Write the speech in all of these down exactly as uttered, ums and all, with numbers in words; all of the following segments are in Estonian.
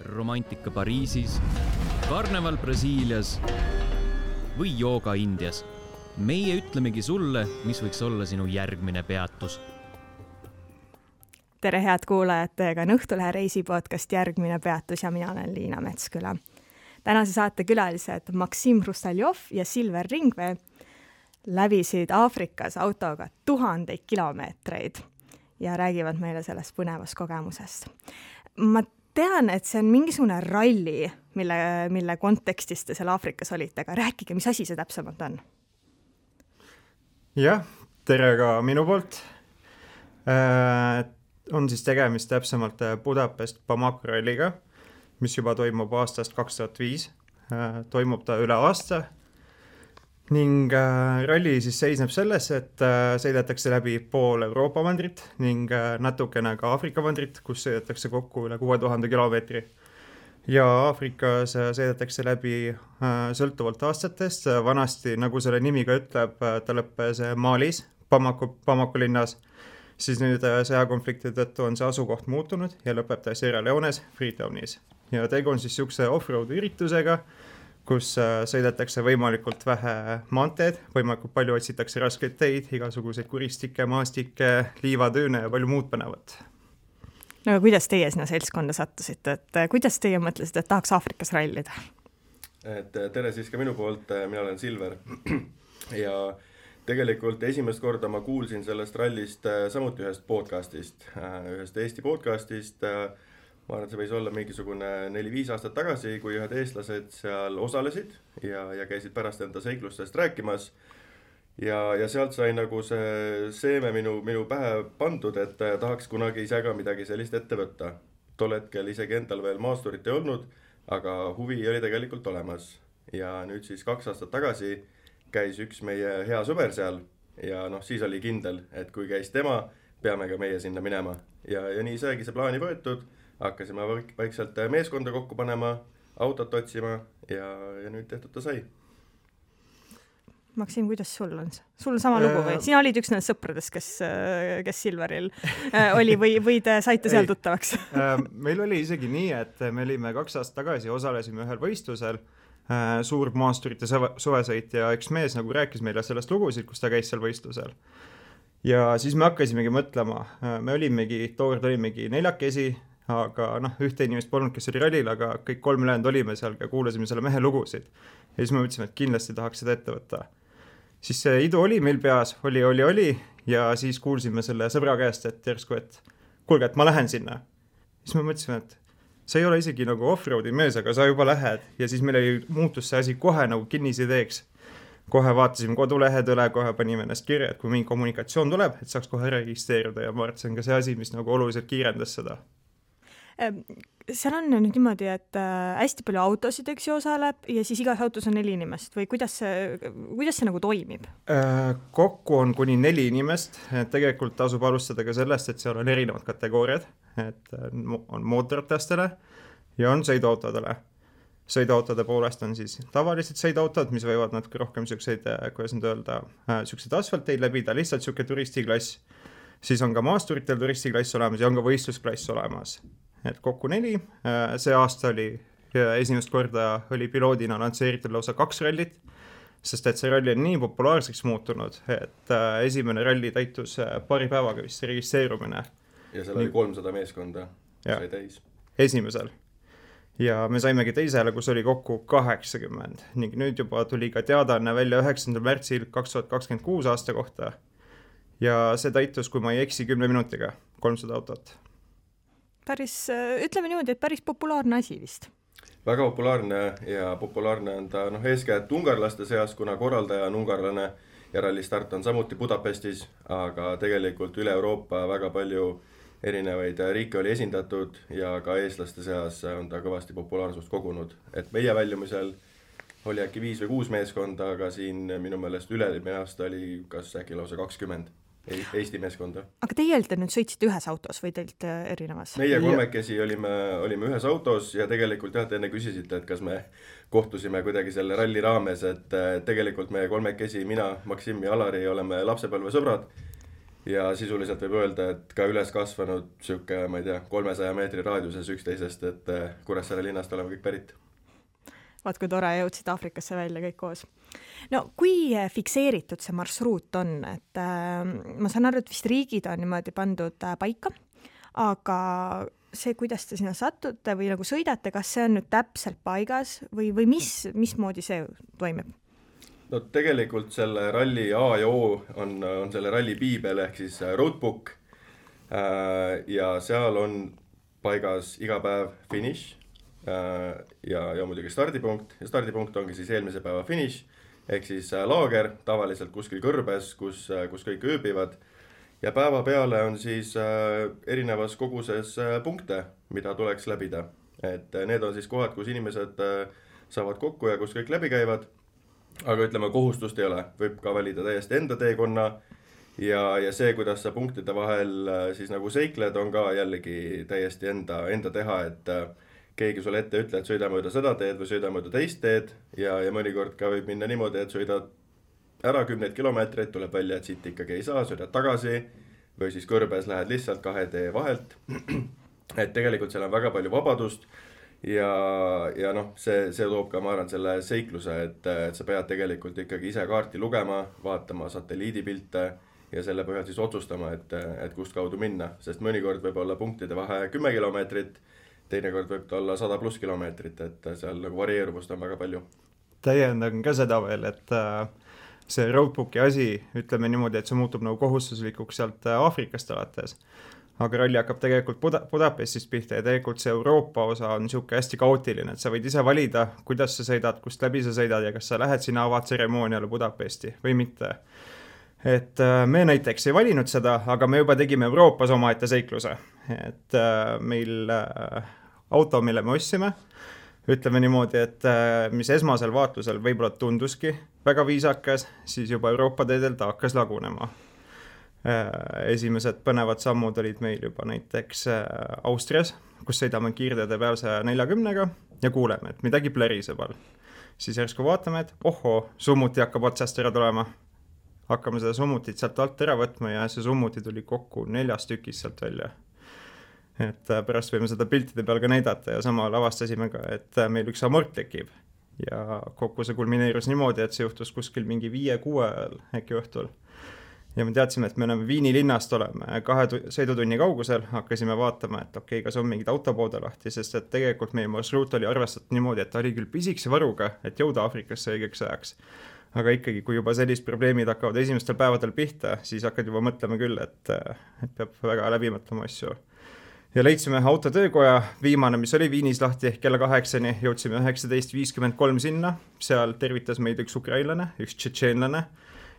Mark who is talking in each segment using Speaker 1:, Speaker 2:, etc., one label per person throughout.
Speaker 1: romantika Pariisis, karneval Brasiilias või jooga Indias. Meie ütlemegi sulle, mis võiks olla sinu järgmine peatus.
Speaker 2: Tere head kuulajad, teiega on Õhtulehe reisipodcast Järgmine peatus ja mina olen Liina Metsküla. Tänase saate külalised Maksim Hrustaljov ja Silver Ringvee läbisid Aafrikas autoga tuhandeid kilomeetreid ja räägivad meile sellest põnevast kogemusest. Ma tean, et see on mingisugune ralli, mille, mille kontekstis te seal Aafrikas olite, aga rääkige, mis asi see täpsemalt on?
Speaker 3: Jah, tere ka minu poolt. Äh, on siis tegemist täpsemalt Budapest Bamako ralliga, mis juba toimub aastast kaks tuhat viis. Äh, toimub ta üle aasta. Ning äh, ralli siis seisneb selles, et äh, sõidetakse läbi pool Euroopa mandrit ning äh, natukene ka Aafrika mandrit, kus sõidetakse kokku üle kuue tuhande kilomeetri. Ja Aafrikas äh, sõidetakse läbi äh, sõltuvalt aastatest. Vanasti, nagu selle nimi ka ütleb, äh, ta lõppes Malis, Bamako, Bamako linnas. Siis nüüd äh, sõjakonflikti tõttu on see asukoht muutunud ja lõpeb ta Sierra Leones, Freetownis. Ja tegu on siis siukse off-road üritusega, kus sõidetakse võimalikult vähe maanteed, võimalikult palju otsitakse raskeid teid, igasuguseid kuristikke, maastikke, liivatüüne ja palju muud põnevat.
Speaker 2: No aga kuidas teie sinna seltskonda sattusite? Et kuidas teie mõtlesite, et tahaks Aafrikas rallida?
Speaker 4: Et tere siis ka minu poolt, mina olen Silver. Ja tegelikult esimest korda ma kuulsin sellest rallist samuti ühest podcastist, ühest Eesti podcastist. Ma arvan, et see võis olla mingisugune neli-viis aastat tagasi, kui ühed eestlased seal osalesid ja, ja käisid pärast enda seiklustest rääkimas. Ja, ja sealt sai nagu see seeme minu, minu pähe pandud, et tahaks kunagi ise ka midagi sellist ette võtta. Tol hetkel isegi endal veel maasturit ei olnud, aga huvi oli tegelikult olemas. Ja nüüd siis kaks aastat tagasi käis üks meie hea sõber seal ja noh, siis oli kindel, et kui käis tema, peame ka meie sinna minema. Ja, ja nii saigi see plaani võetud. Hakkasime vaikselt meeskonda kokku panema, autot otsima ja, ja nüüd tehtud ta sai.
Speaker 2: Maksim, kuidas sul on? Sul on sama lugu või? Sina olid üks nendest sõpradest, kes, kes Silveril oli või, või te saite seal tuttavaks?
Speaker 3: Meil oli isegi nii, et me olime kaks aastat tagasi, osalesime ühel võistlusel, suur maasturite suvesõit ja üks mees nagu rääkis meile sellest lugusid, kus ta käis seal võistlusel. Ja siis me hakkasimegi mõtlema, me olimegi, tookord olimegi neljakesi, aga noh, ühte inimest polnud, kes oli rallil, aga kõik kolm ülejäänud olime seal ja kuulasime selle mehe lugusid. Ja siis me mõtlesime, et kindlasti tahaks seda ette võtta. Siis see idu oli meil peas, oli, oli, oli ja siis kuulsime selle sõbra käest, et järsku, et kuulge, et ma lähen sinna. Siis me mõtlesime, et see ei ole isegi nagu off-roadi mees, aga sa juba lähed. Ja siis meil oli muutus see asi kohe nagu kinnisideeks. Kohe vaatasime kodulehed üle, kohe panime ennast kirja, et kui mingi kommunikatsioon tuleb, et saaks kohe registreeruda ja ma arvan, et see on ka see asi, mis nagu oluliselt kiirendas seda.
Speaker 2: Seal on nüüd niimoodi, et hästi palju autosid, eks ju, osaleb ja siis igas autos on neli inimest või kuidas see, kuidas see nagu toimib?
Speaker 3: Kokku on kuni neli inimest, et tegelikult tasub alustada ka sellest, et seal on erinevad kategooriad, et on mootorratastele ja on sõiduautodele. Sõiduautode poolest on siis tavalised sõiduautod, mis võivad natuke rohkem siukseid, kuidas nüüd öelda, siukseid asfalteid läbida, lihtsalt siuke turistiklass. Siis on ka maasturitel turistiklass olemas ja on ka võistlusklass olemas. Et kokku neli. See aasta oli esimest korda oli piloodina lansseeritud lausa kaks rallit, sest et see ralli on nii populaarseks muutunud, et esimene ralli täitus paari päevaga vist registreerumine.
Speaker 4: Ja seal oli kolmsada meeskonda, sai täis.
Speaker 3: Esimesel. Ja me saimegi teisele, kus oli kokku kaheksakümmend. Ning nüüd juba tuli ka teadaanne välja üheksandal märtsil kaks tuhat kakskümmend kuus aasta kohta. Ja see täitus, kui ma ei eksi kümne minutiga, kolmsada autot.
Speaker 2: Päris, ütleme niimoodi, et päris populaarne asi vist.
Speaker 4: Väga populaarne ja populaarne on ta noh, eeskätt ungarlaste seas, kuna korraldaja on ungarlane ja rallistart on samuti Budapestis, aga tegelikult üle Euroopa väga palju erinevaid riike oli esindatud ja ka eestlaste seas on ta kõvasti populaarsust kogunud. Et meie väljumisel oli äkki viis või kuus meeskonda, aga siin minu meelest üle-eelmine aasta oli kas äkki lausa kakskümmend. Eesti meeskonda. Aga
Speaker 2: teie te nüüd sõitsite ühes autos või teilt erinevas?
Speaker 4: Meie kolmekesi olime, olime ühes autos ja tegelikult jah, te enne küsisite, et kas me kohtusime kuidagi selle ralli raames, et tegelikult meie kolmekesi, mina, Maksim ja Alari oleme lapsepõlve sõbrad ja sisuliselt võib öelda, et ka üles kasvanud siuke, ma ei tea, kolmesaja meetri raadiuses üksteisest, et Kuressaare linnast oleme kõik pärit.
Speaker 2: Vaat kui tore, jõudsid Aafrikasse välja kõik koos. No kui fikseeritud see marsruut on, et äh, ma saan aru, et vist riigid on niimoodi pandud äh, paika, aga see, kuidas te sinna satute või nagu sõidate, kas see on nüüd täpselt paigas või, või mis, mismoodi see toimib?
Speaker 4: No tegelikult selle ralli A ja O on, on selle ralli piibel ehk siis roadbook äh, ja seal on paigas iga päev finiš ja, ja muidugi stardipunkt ja stardipunkt ongi siis eelmise päeva finiš ehk siis laager tavaliselt kuskil kõrbes, kus, kus kõik ööbivad ja päeva peale on siis erinevas koguses punkte, mida tuleks läbida. Et need on siis kohad, kus inimesed saavad kokku ja kus kõik läbi käivad, aga ütleme, kohustust ei ole, võib ka valida täiesti enda teekonna ja, ja see, kuidas sa punktide vahel siis nagu seikled, on ka jällegi täiesti enda, enda teha, et keegi sulle ette ütle, et sõida mööda seda teed või sõida mööda teist teed ja, ja mõnikord ka võib minna niimoodi, et sõidad ära kümneid kilomeetreid, tuleb välja, et siit ikkagi ei saa, sõidad tagasi või siis kõrbes lähed lihtsalt kahe tee vahelt. Et tegelikult seal on väga palju vabadust ja, ja noh, see, see toob ka, ma arvan, selle seikluse, et, et sa pead tegelikult ikkagi ise kaarti lugema, vaatama satelliidipilte ja selle põhjal siis otsustama, et, et kust kaudu minna, sest mõnikord võib olla punktide vahe kümme kilomeetrit, teinekord võib ta olla sada pluss kilomeetrit, et seal nagu varieeruvust on väga palju.
Speaker 3: Täiendan ka seda veel, et see roadbooki asi, ütleme niimoodi, et see muutub nagu kohustuslikuks sealt Aafrikast alates. Aga ralli hakkab tegelikult Buda- Budapestist pihta ja tegelikult see Euroopa osa on niisugune hästi kaootiline, et sa võid ise valida, kuidas sa sõidad, kust läbi sa sõidad ja kas sa lähed sinna avaatseremooniale Budapesti või mitte. Et me näiteks ei valinud seda, aga me juba tegime Euroopas omaette seikluse. Et meil auto, mille me ostsime, ütleme niimoodi, et mis esmasel vaatlusel võib-olla tunduski väga viisakas, siis juba Euroopa teedel ta hakkas lagunema. Esimesed põnevad sammud olid meil juba näiteks Austrias, kus sõidame kiirteede peal saja neljakümnega ja kuuleme, et midagi pläriseb all. Siis järsku vaatame, et ohoo, summuti hakkab otsast ära tulema. Hakkame seda summutit sealt alt ära võtma ja see summuti tuli kokku neljast tükis sealt välja. Et pärast võime seda piltide peal ka näidata ja samal avastasime ka, et meil üks amort tekib. Ja kokku see kulmineerus niimoodi, et see juhtus kuskil mingi viie-kuue äkki õhtul. Ja me teadsime, et me oleme Viini linnast oleme kahe sõidutunni kaugusel, hakkasime vaatama, et okei, kas on mingid autopoode lahti, sest et tegelikult meie marsruut oli arvestatud niimoodi, et ta oli küll pisikse varuga, et jõuda Aafrikasse õigeks ajaks. Aga ikkagi, kui juba sellist probleemid hakkavad esimestel päevadel pihta, siis hakkad juba mõtlema küll, et, et peab väga läbi mõtlema asju. Ja leidsime autotöökoja, viimane, mis oli Viinis lahti kella kaheksani, jõudsime üheksateist viiskümmend kolm sinna, seal tervitas meid üks ukrainlane, üks tšetšeenlane,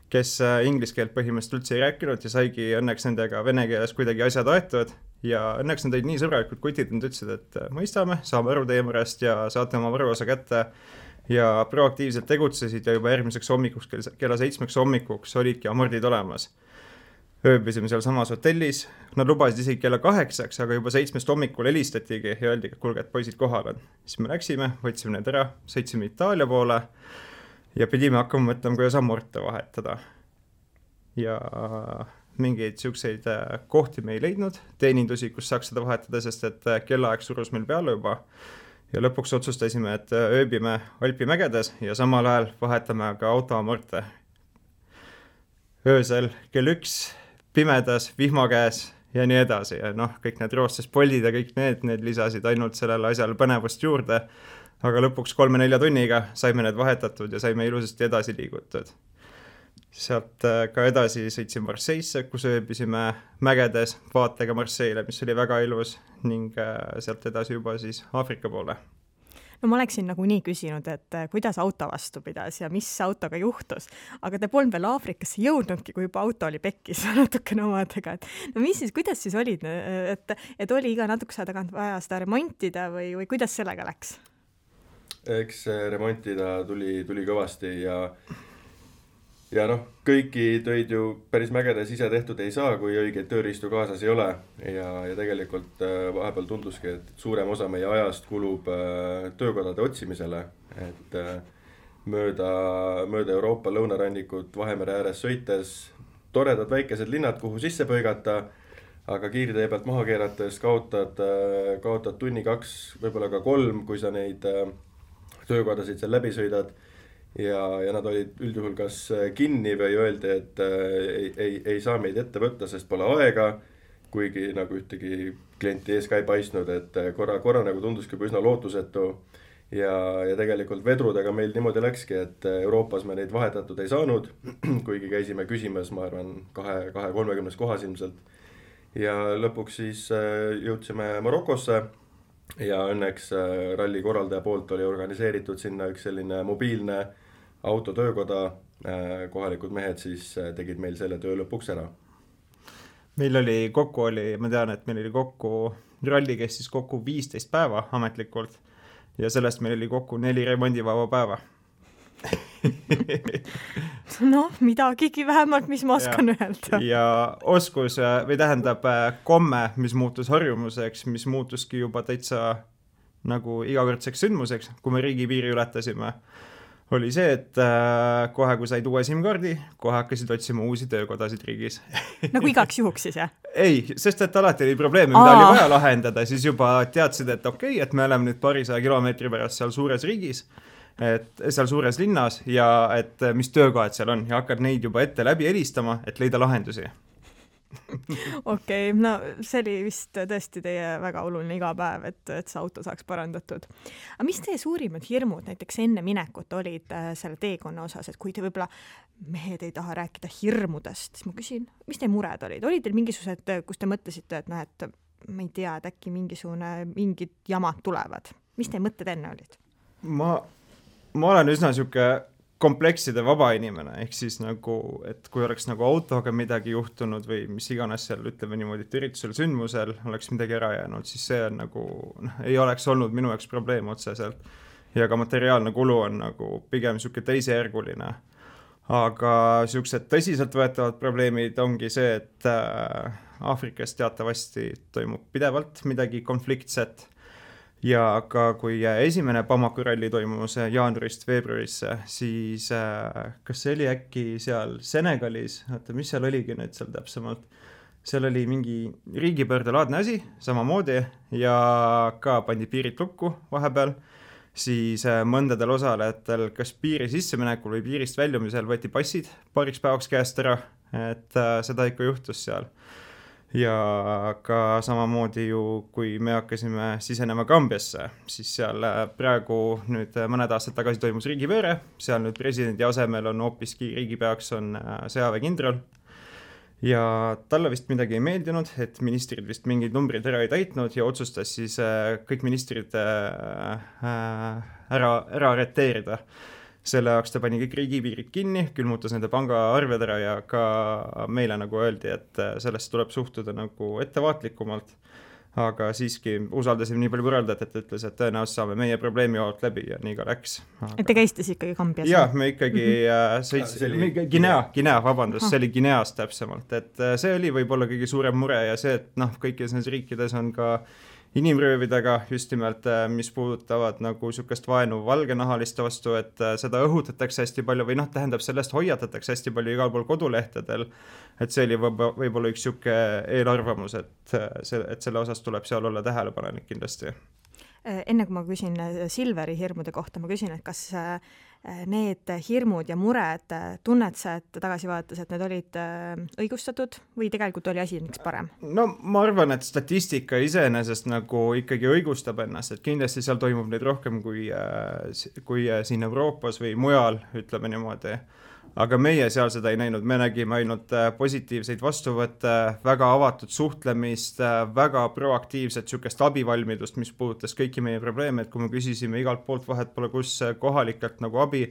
Speaker 3: kes inglise keelt põhimõtteliselt üldse ei rääkinud ja saigi õnneks nendega vene keeles kuidagi asjad aetud ja õnneks nad olid nii sõbralikud kutid, nad ütlesid, et mõistame, saame aru teie murest ja saate oma varuosa kätte ja proaktiivselt tegutsesid ja juba järgmiseks hommikuks, kella seitsmeks hommikuks olidki amordid olemas. Ööbisime seal samas hotellis, nad lubasid isegi kella kaheksaks, aga juba seitsmest hommikul helistatigi ja öeldi, et kulge, et poisid kohal on. Siis me läksime, võtsime need ära, sõitsime Itaalia poole ja pidime hakkama mõtlema, kuidas amorte vahetada. Ja mingeid siukseid kohti me ei leidnud, teenindusi, kus saaks seda vahetada, sest et kellaaeg surus meil peale juba. Ja lõpuks otsustasime, et ööbime Alpi mägedes ja samal ajal vahetame ka autoamorte. Öösel kell üks pimedas, vihma käes ja nii edasi. Ja noh, kõik need roostes poldid ja kõik need, need lisasid ainult sellele asjale põnevust juurde. Aga lõpuks kolme-nelja tunniga saime need vahetatud ja saime ilusasti edasi liigutud. Sealt ka edasi sõitsime Marseille'sse, kus ööbisime mägedes vaatega Marseille'le, mis oli väga ilus ning sealt edasi juba siis Aafrika poole.
Speaker 2: No ma oleksin nagu nii küsinud, et kuidas auto vastu pidas ja mis autoga juhtus, aga te polnud veel Aafrikasse jõudnudki, kui juba auto oli pekkis natukene omadega. Et, no mis siis, kuidas siis olid, et, et oli iga natukese tagant vaja seda remontida või, või kuidas sellega läks?
Speaker 4: Eks remontida tuli, tuli kõvasti ja Ja noh, kõiki töid ju päris mägedes ise tehtud ei saa, kui õigeid tööriistu kaasas ei ole. Ja, ja tegelikult vahepeal tunduski, et suurem osa meie ajast kulub töökodade otsimisele. Et mööda, mööda Euroopa lõunarannikut Vahemere ääres sõites toredad väikesed linnad, kuhu sisse põigata, aga kiirtee pealt maha keerates kaotad, kaotad tunni kaks, võib-olla ka kolm, kui sa neid töökodasid seal läbi sõidad. Ja, ja nad olid üldjuhul kas kinni või öeldi, et ei, ei, ei saa meid ette võtta, sest pole aega, kuigi nagu ühtegi klienti ees ka ei paistnud, et korra, korra nagu tunduski üsna lootusetu. Ja, ja tegelikult vedrudega meil niimoodi läkski, et Euroopas me neid vahetatud ei saanud, kuigi käisime küsimas, ma arvan, kahe, kahe kolmekümnes kohas ilmselt. Ja lõpuks siis jõudsime Marokosse ja õnneks ralli korraldaja poolt oli organiseeritud sinna üks selline mobiilne autotöökoda. Kohalikud mehed siis tegid meil selle töö lõpuks ära.
Speaker 3: Meil oli kokku, oli, ma tean, et meil oli kokku, ralli kestis kokku viisteist päeva ametlikult. Ja sellest meil oli kokku neli remondivaba päeva.
Speaker 2: noh, midagigi vähemalt, mis ma oskan ja, öelda.
Speaker 3: Ja oskus, või tähendab komme, mis muutus harjumuseks, mis muutuski juba täitsa nagu igakordselt sündmuseks, kui me riigipiiri ületasime, oli see, et kohe, kui said uue SIM-kaardi, kohe hakkasid otsima uusi töökodasid riigis.
Speaker 2: nagu igaks juhuks siis, jah?
Speaker 3: Ei, sest et alati oli probleeme, mida Aa. oli vaja lahendada, siis juba teadsid, et okei, okay, et me oleme nüüd parisaja kilomeetri pärast seal suures riigis, et seal suures linnas ja et mis töökohad seal on ja hakkad neid juba ette läbi helistama, et leida lahendusi.
Speaker 2: okei, okay, no see oli vist tõesti teie väga oluline iga päev, et, et see auto saaks parandatud. Aga mis teie suurimad hirmud näiteks enne minekut olid selle teekonna osas, et kui te võib-olla mehed ei taha rääkida hirmudest, siis ma küsin, mis teie mured olid? Olid teil mingisugused, kus te mõtlesite, et noh, et ma ei tea, et äkki mingisugune, mingid jamad tulevad? Mis teie mõtted enne olid?
Speaker 3: Ma, ma olen üsna siuke komplekside vaba inimene, ehk siis nagu, et kui oleks nagu autoga midagi juhtunud või mis iganes seal, ütleme niimoodi, et üritusel sündmusel oleks midagi ära jäänud, siis see on nagu, noh, ei oleks olnud minu jaoks probleem otseselt. Ja ka materiaalne kulu on nagu pigem siuke teisejärguline. Aga siuksed tõsiselt võetavad probleemid ongi see, et Aafrikas teatavasti toimub pidevalt midagi konfliktset. Ja ka kui esimene Bamako ralli toimus jaanuarist veebruarisse, siis äh, kas see oli äkki seal Senegalis, oota, mis seal oligi nüüd seal täpsemalt, seal oli mingi riigipöördelaadne asi samamoodi ja ka pandi piirid lukku vahepeal, siis äh, mõndadel osalejatel kas piiri sisseminekul või piirist väljumisel võeti passid paariks päevaks käest ära, et äh, seda ikka juhtus seal. Ja ka samamoodi ju, kui me hakkasime sisenema Gambiasse, siis seal praegu nüüd mõned aastad tagasi toimus riigipööre, seal nüüd presidendi asemel on hoopiski riigipeaks on sõjaväekindral ja talle vist midagi ei meeldinud, et ministrid vist mingid numbrid ära ei täitnud ja otsustas siis kõik ministrid ära, ära arreteerida. Selle jaoks ta pani kõik riigipiirid kinni, külmutas nende pangaarved ära ja ka meile nagu öeldi, et sellest tuleb suhtuda nagu ettevaatlikumalt. Aga siiski usaldasime nii palju võrreldajat, et ütles, et tõenäoliselt saame meie probleemi joalt läbi ja nii ka läks. Aga...
Speaker 2: Et te käisite siis ikkagi Gambias?
Speaker 3: Jah, me ikkagi mm-hmm. sõits... oli... Guinea, Guinea, vabandust, ah. see oli Guineast täpsemalt. Et see oli võib-olla kõige suurem mure ja see, et noh, kõikides nendes riikides on ka inimröövidega just nimelt, mis puudutavad nagu sükest vaenu valgenahaliste vastu, et seda õhutatakse hästi palju või noh, tähendab sellest hoiatatakse hästi palju igal pool kodulehtedel, et see oli võib-olla üks süke eelarvamus, et, see, et selle osas tuleb seal olla tähelepanelik kindlasti.
Speaker 2: Enne kui ma küsin Silveri hirmude kohta, ma küsin, et kas need hirmud ja mured tunned sa, et tagasi vaadates, et need olid õigustatud või tegelikult oli asi miks parem?
Speaker 3: No ma arvan, et statistika iseenesest nagu ikkagi õigustab ennast, et kindlasti seal toimub neid rohkem kui, kui siin Euroopas või mujal, ütleme niimoodi. Aga meie seal seda ei näinud, me nägime ainult positiivseid vastuvõtte, väga avatud suhtlemist, väga proaktiivset sükest abivalmidust, mis puudutas kõiki meie probleeme, et kui me küsisime igalt poolt vahet pole kus kohalikelt nagu abi,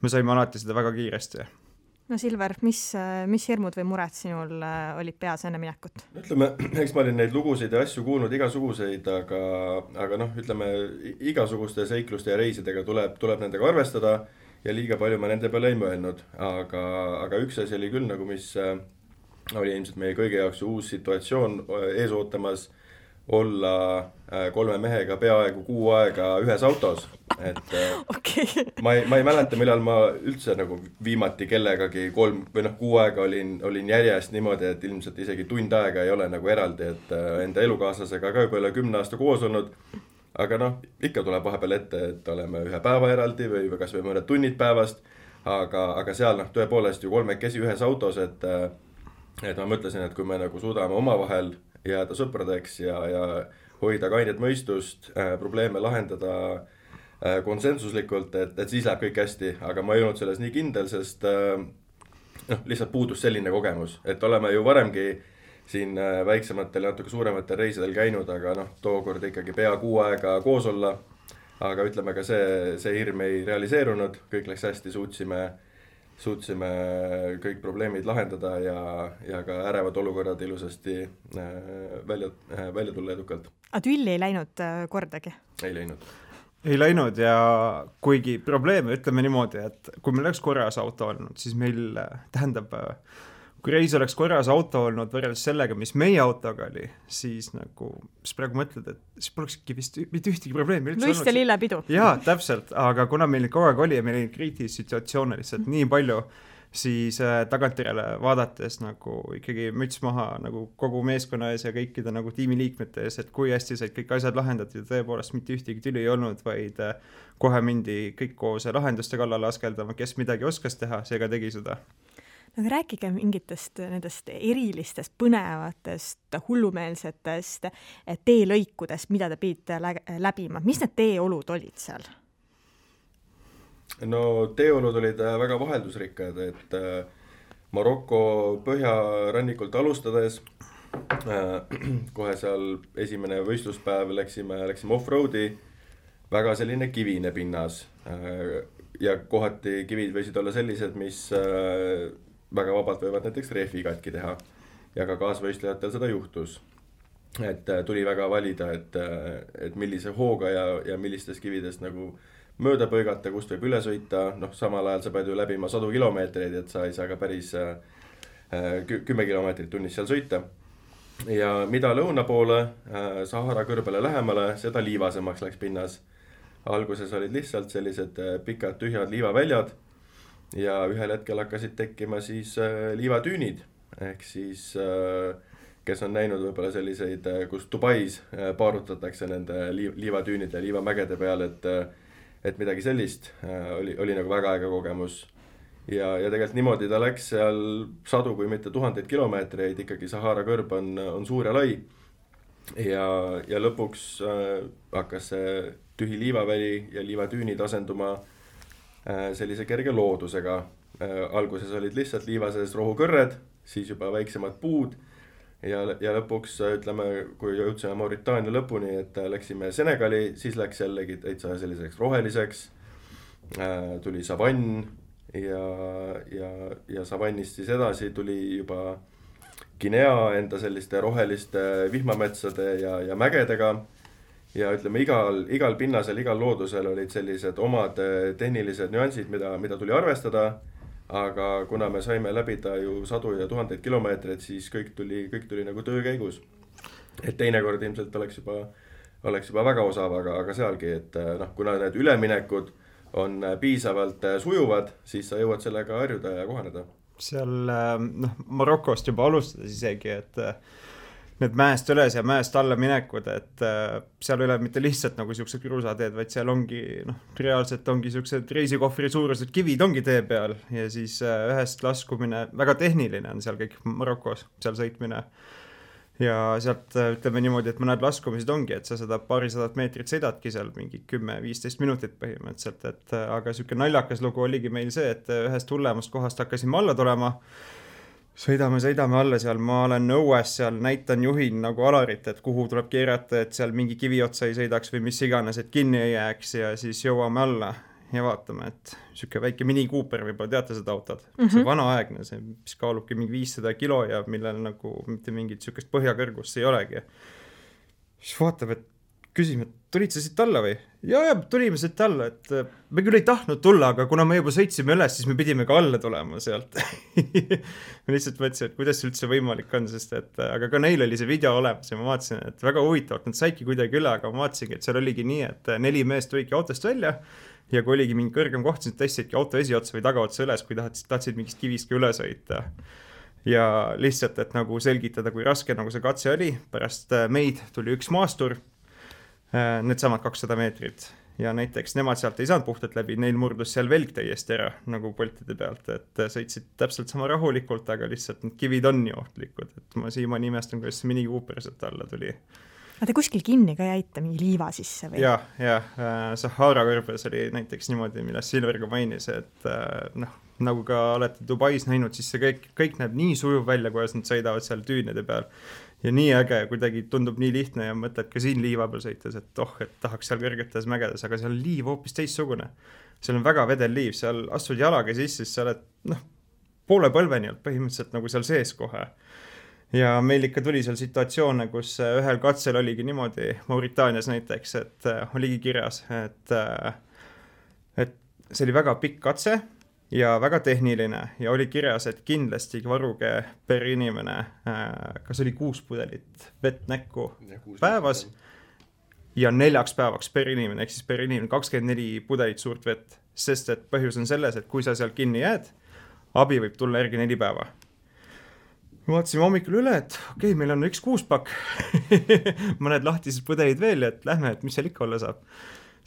Speaker 3: me saime alati seda väga kiiresti.
Speaker 2: No Silver, mis, mis hirmud või mured sinul olid peas enne minekut?
Speaker 4: Ütleme, eks ma olin neid lugusid ja asju kuulnud igasuguseid, aga, aga noh, ütleme, igasuguste seikluste ja reisidega tuleb, tuleb nendega arvestada ja liiga palju ma nende peale ei mõelnud, aga, aga üks asi oli küll nagu, mis oli ilmselt meie kõige jaoks uus situatsioon ees ootamas olla kolme mehega peaaegu kuu aega ühes autos. et
Speaker 2: okay.
Speaker 4: ma ei, ma ei mäleta, millal ma üldse nagu viimati kellegagi kolm või noh, kuu aega olin, olin järjest niimoodi, et ilmselt isegi tund aega ei ole nagu eraldi, et enda elukaaslasega ka juba üle kümne aasta koos olnud, aga noh, ikka tuleb vahepeal ette, et oleme ühe päeva eraldi või, või kas või mõned tunnid päevast, aga, aga seal noh, tõepoolest ju kolmekesi ühes autos, et et ma mõtlesin, et kui me nagu suudame omavahel jääda sõpradeks ja, ja hoida kainet mõistust, äh, probleeme lahendada äh, konsensuslikult, et, et siis läheb kõik hästi, aga ma ei olnud selles nii kindel, sest äh, noh, lihtsalt puudus selline kogemus, et oleme ju varemgi siin äh, väiksematel ja natuke suurematel reisidel käinud, aga noh, tookord ikkagi pea kuu aega koos olla, aga ütleme ka see, see hirm ei realiseerunud, kõik läks hästi, suutsime suutsime kõik probleemid lahendada ja, ja ka ärevad olukorrad ilusasti välja, välja tulla edukalt.
Speaker 2: A tülli ei läinud kordagi?
Speaker 4: Ei läinud.
Speaker 3: Ei läinud ja kuigi probleeme, ütleme niimoodi, et kui meil oleks korras auto olnud, siis meil tähendab, kui reis oleks korras auto olnud võrreldes sellega, mis meie autoga oli, siis nagu, siis praegu mõtled, et siis polekski vist mitte ühtegi probleemi.
Speaker 2: Luist ja lillepidu.
Speaker 3: Jaa, täpselt, aga kuna meil kogu aeg oli ja meil oli kriitilisi situatsioone lihtsalt mm. nii palju, siis äh, tagantjärele vaadates nagu ikkagi müts maha nagu kogu meeskonna ees ja kõikide nagu tiimiliikmete ees, et kui hästi said kõik asjad lahendatud, tõepoolest mitte ühtegi tüli ei olnud, vaid äh, kohe mindi kõik koos lahenduste kallale askeldama, kes midagi oskas teha, seega tegi seda.
Speaker 2: No rääkige mingitest nendest erilistest, põnevatest, hullumeelsetest teelõikudest, mida te pidite läbima. Mis need teeolud olid seal?
Speaker 4: No teeolud olid väga vaheldusrikkad, et Maroko põhjarannikult alustades kohe seal esimene võistluspäev läksime, läksime off-roadi, väga selline kivine pinnas ja kohati kivid võisid olla sellised, mis väga vabalt võivad näiteks rehvi katki teha ja ka kaasvõistlejatel seda juhtus. Et tuli väga valida, et, et millise hooga ja, ja millistest kividest nagu mööda põigata, kust võib üle sõita, noh samal ajal sa pead ju läbima sadu kilomeetreid, et sa ei saa ka päris kümme kilomeetrit tunnis seal sõita. Ja mida lõuna poole, Sahara kõrbele lähemale, seda liivasemaks läks pinnas. Alguses olid lihtsalt sellised pikad tühjad liivaväljad, ja ühel hetkel hakkasid tekkima siis äh, liivatüünid, ehk siis äh, kes on näinud võib-olla selliseid, kus Dubais äh, paarutatakse nende liiv, liivatüünide ja liivamägede peal, et, et midagi sellist äh, oli, oli nagu väga aega kogemus. Ja, ja tegelikult niimoodi ta läks seal sadu kui mitte tuhandeid kilomeetreid, ikkagi Sahara kõrb on, on suur ja lai. Ja, ja lõpuks äh, hakkas see tühi liivaväli ja liivatüünid asenduma sellise kerge loodusega. Alguses olid lihtsalt liivases rohukõrred, siis juba väiksemad puud ja, ja lõpuks ütleme, kui jõudsime Mauritaania lõpuni, et läksime Senegali, siis läks jällegi täitsa selliseks roheliseks, tuli savann ja, ja, ja savannist siis edasi tuli juba Guinea enda selliste roheliste vihmametsade ja, ja mägedega. Ja ütleme, igal, igal pinnasel, igal loodusel olid sellised omad tehnilised nüansid, mida, mida tuli arvestada, aga kuna me saime läbida ju sadu ja tuhandeid kilomeetreid, siis kõik tuli, kõik tuli nagu töö käigus. Et teinekord ilmselt oleks juba, oleks juba väga osav, aga, aga sealgi, et noh, kuna need üleminekud on piisavalt sujuvad, siis sa jõuad sellega harjuda ja kohaneda.
Speaker 3: Seal noh, Marokost juba alustades isegi, et need mäest üles ja mäest alla minekud, et äh, seal ei ole mitte lihtsalt nagu siuksed kruusateed, vaid seal ongi, noh, reaalselt ongi siuksed reisikohvri suurused kivid ongi tee peal ja siis äh, ühest laskumine, väga tehniline on seal kõik Marokos, seal sõitmine. Ja sealt ütleme niimoodi, et mõned laskumised ongi, et sa seda paarisadat meetrit sõidadki seal mingi kümme viisteist minutit põhimõtteliselt, et äh, aga siuke naljakas lugu oligi meil see, et ühest hullemast kohast hakkasime alla tulema. Sõidame, sõidame alla seal, ma olen õues seal, näitan juhin nagu Alarit, et kuhu tuleb keerata, et seal mingi kivi otsa ei sõidaks või mis iganes, et kinni ei jääks ja siis jõuame alla ja vaatame, et siuke väike Mini Cooper, võib-olla teate seda autod, mm -hmm. see vanaaegne, see mis kaalubki mingi viissada kilo ja millel nagu mitte mingit siukest põhjakõrgust ei olegi. Siis vaatab, et küsime, et tulid sa siit alla või? Ja, ja tulime siit alla, et me küll ei tahtnud tulla, aga kuna me juba sõitsime üles, siis me pidime ka alla tulema sealt. Me lihtsalt mõtlesin, et kuidas üldse võimalik on, sest et aga ka neil oli see video olemas ja ma vaatasin, et väga huvitavalt, nad saidki kuidagi üle, aga ma vaatasingi, et seal oligi nii, et neli meest tulidki autost välja ja kui oligi mingi kõrgem koht, siis tõstsidki auto esiotsa või tagaotsa üles, kui tahtsid, tahtsid mingist kivist ka üle sõita. Ja lihtsalt, et nagu selgitada, kui raske nagu see katse oli, pärast meid tuli üks maastur, need samad kakssada meetrit ja näiteks nemad sealt ei saanud puhtalt läbi, neil murdus seal velg täiesti ära nagu poltide pealt, et sõitsid täpselt sama rahulikult, aga lihtsalt need kivid on nii ohtlikud, et ma siiamaani imestan, kuidas see Mini Cooper sealt alla tuli.
Speaker 2: Aga te kuskil kinni ka jäite mingi liiva sisse või?
Speaker 3: Ja, ja Sahara kõrbes oli näiteks niimoodi, millest Silver ka mainis, et noh, nagu ka olete Dubais näinud, siis see kõik, kõik näeb nii sujuv välja, kuidas nad sõidavad seal tüünide peal. Ja nii äge, kuidagi tundub nii lihtne ja mõtled ka siin liiva peal sõites, et oh, et tahaks seal kõrgetes mägedes, aga seal liiv hoopis teistsugune. Seal on väga vedel liiv, seal astud jalaga sisse, siis sa oled noh, poole põlveni olnud põhimõtteliselt nagu seal sees kohe. Ja meil ikka tuli seal situatsioone, kus ühel katsel oligi niimoodi Mauritaanias näiteks, et oligi kirjas, et, et see oli väga pikk katse ja väga tehniline ja oli kirjas, et kindlasti varuge per inimene, kas oli kuus pudelit vett näkku ja päevas ja neljaks päevaks per inimene, ehk siis per inimene kakskümmend neli pudelit suurt vett, sest et põhjus on selles, et kui sa seal kinni jääd, abi võib tulla järgi neli päeva. Me vaatasime hommikul üle, et okei, okay, meil on üks kuuspakk, mõned lahtised pudelid veel, et lähme, et mis seal ikka olla saab.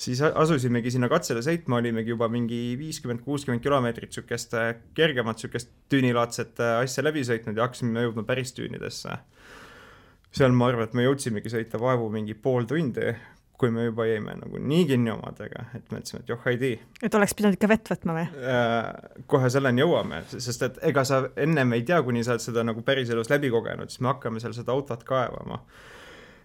Speaker 3: Siis asusimegi sinna katsele sõitma, olimegi juba mingi viiskümmend kuuskümmend kilomeetrit sükest kergemat sükest tüünilaadset asja läbi sõitnud ja hakkasime jõudma päris tüünidesse. Seal ma arvan, et me jõudsimegi sõita vaevu mingi pool tundi, kui me juba jäime nagu nii kinni omadega, et mõtlesime, et joh, ei tii.
Speaker 2: Et oleks pidanud ikka vett võtma või?
Speaker 3: Kohe selleni jõuame, sest et ega sa ennem ei tea, kuni sa oled seda nagu päris elus läbi kogenud, siis me hakkame seal seda autot kaevama.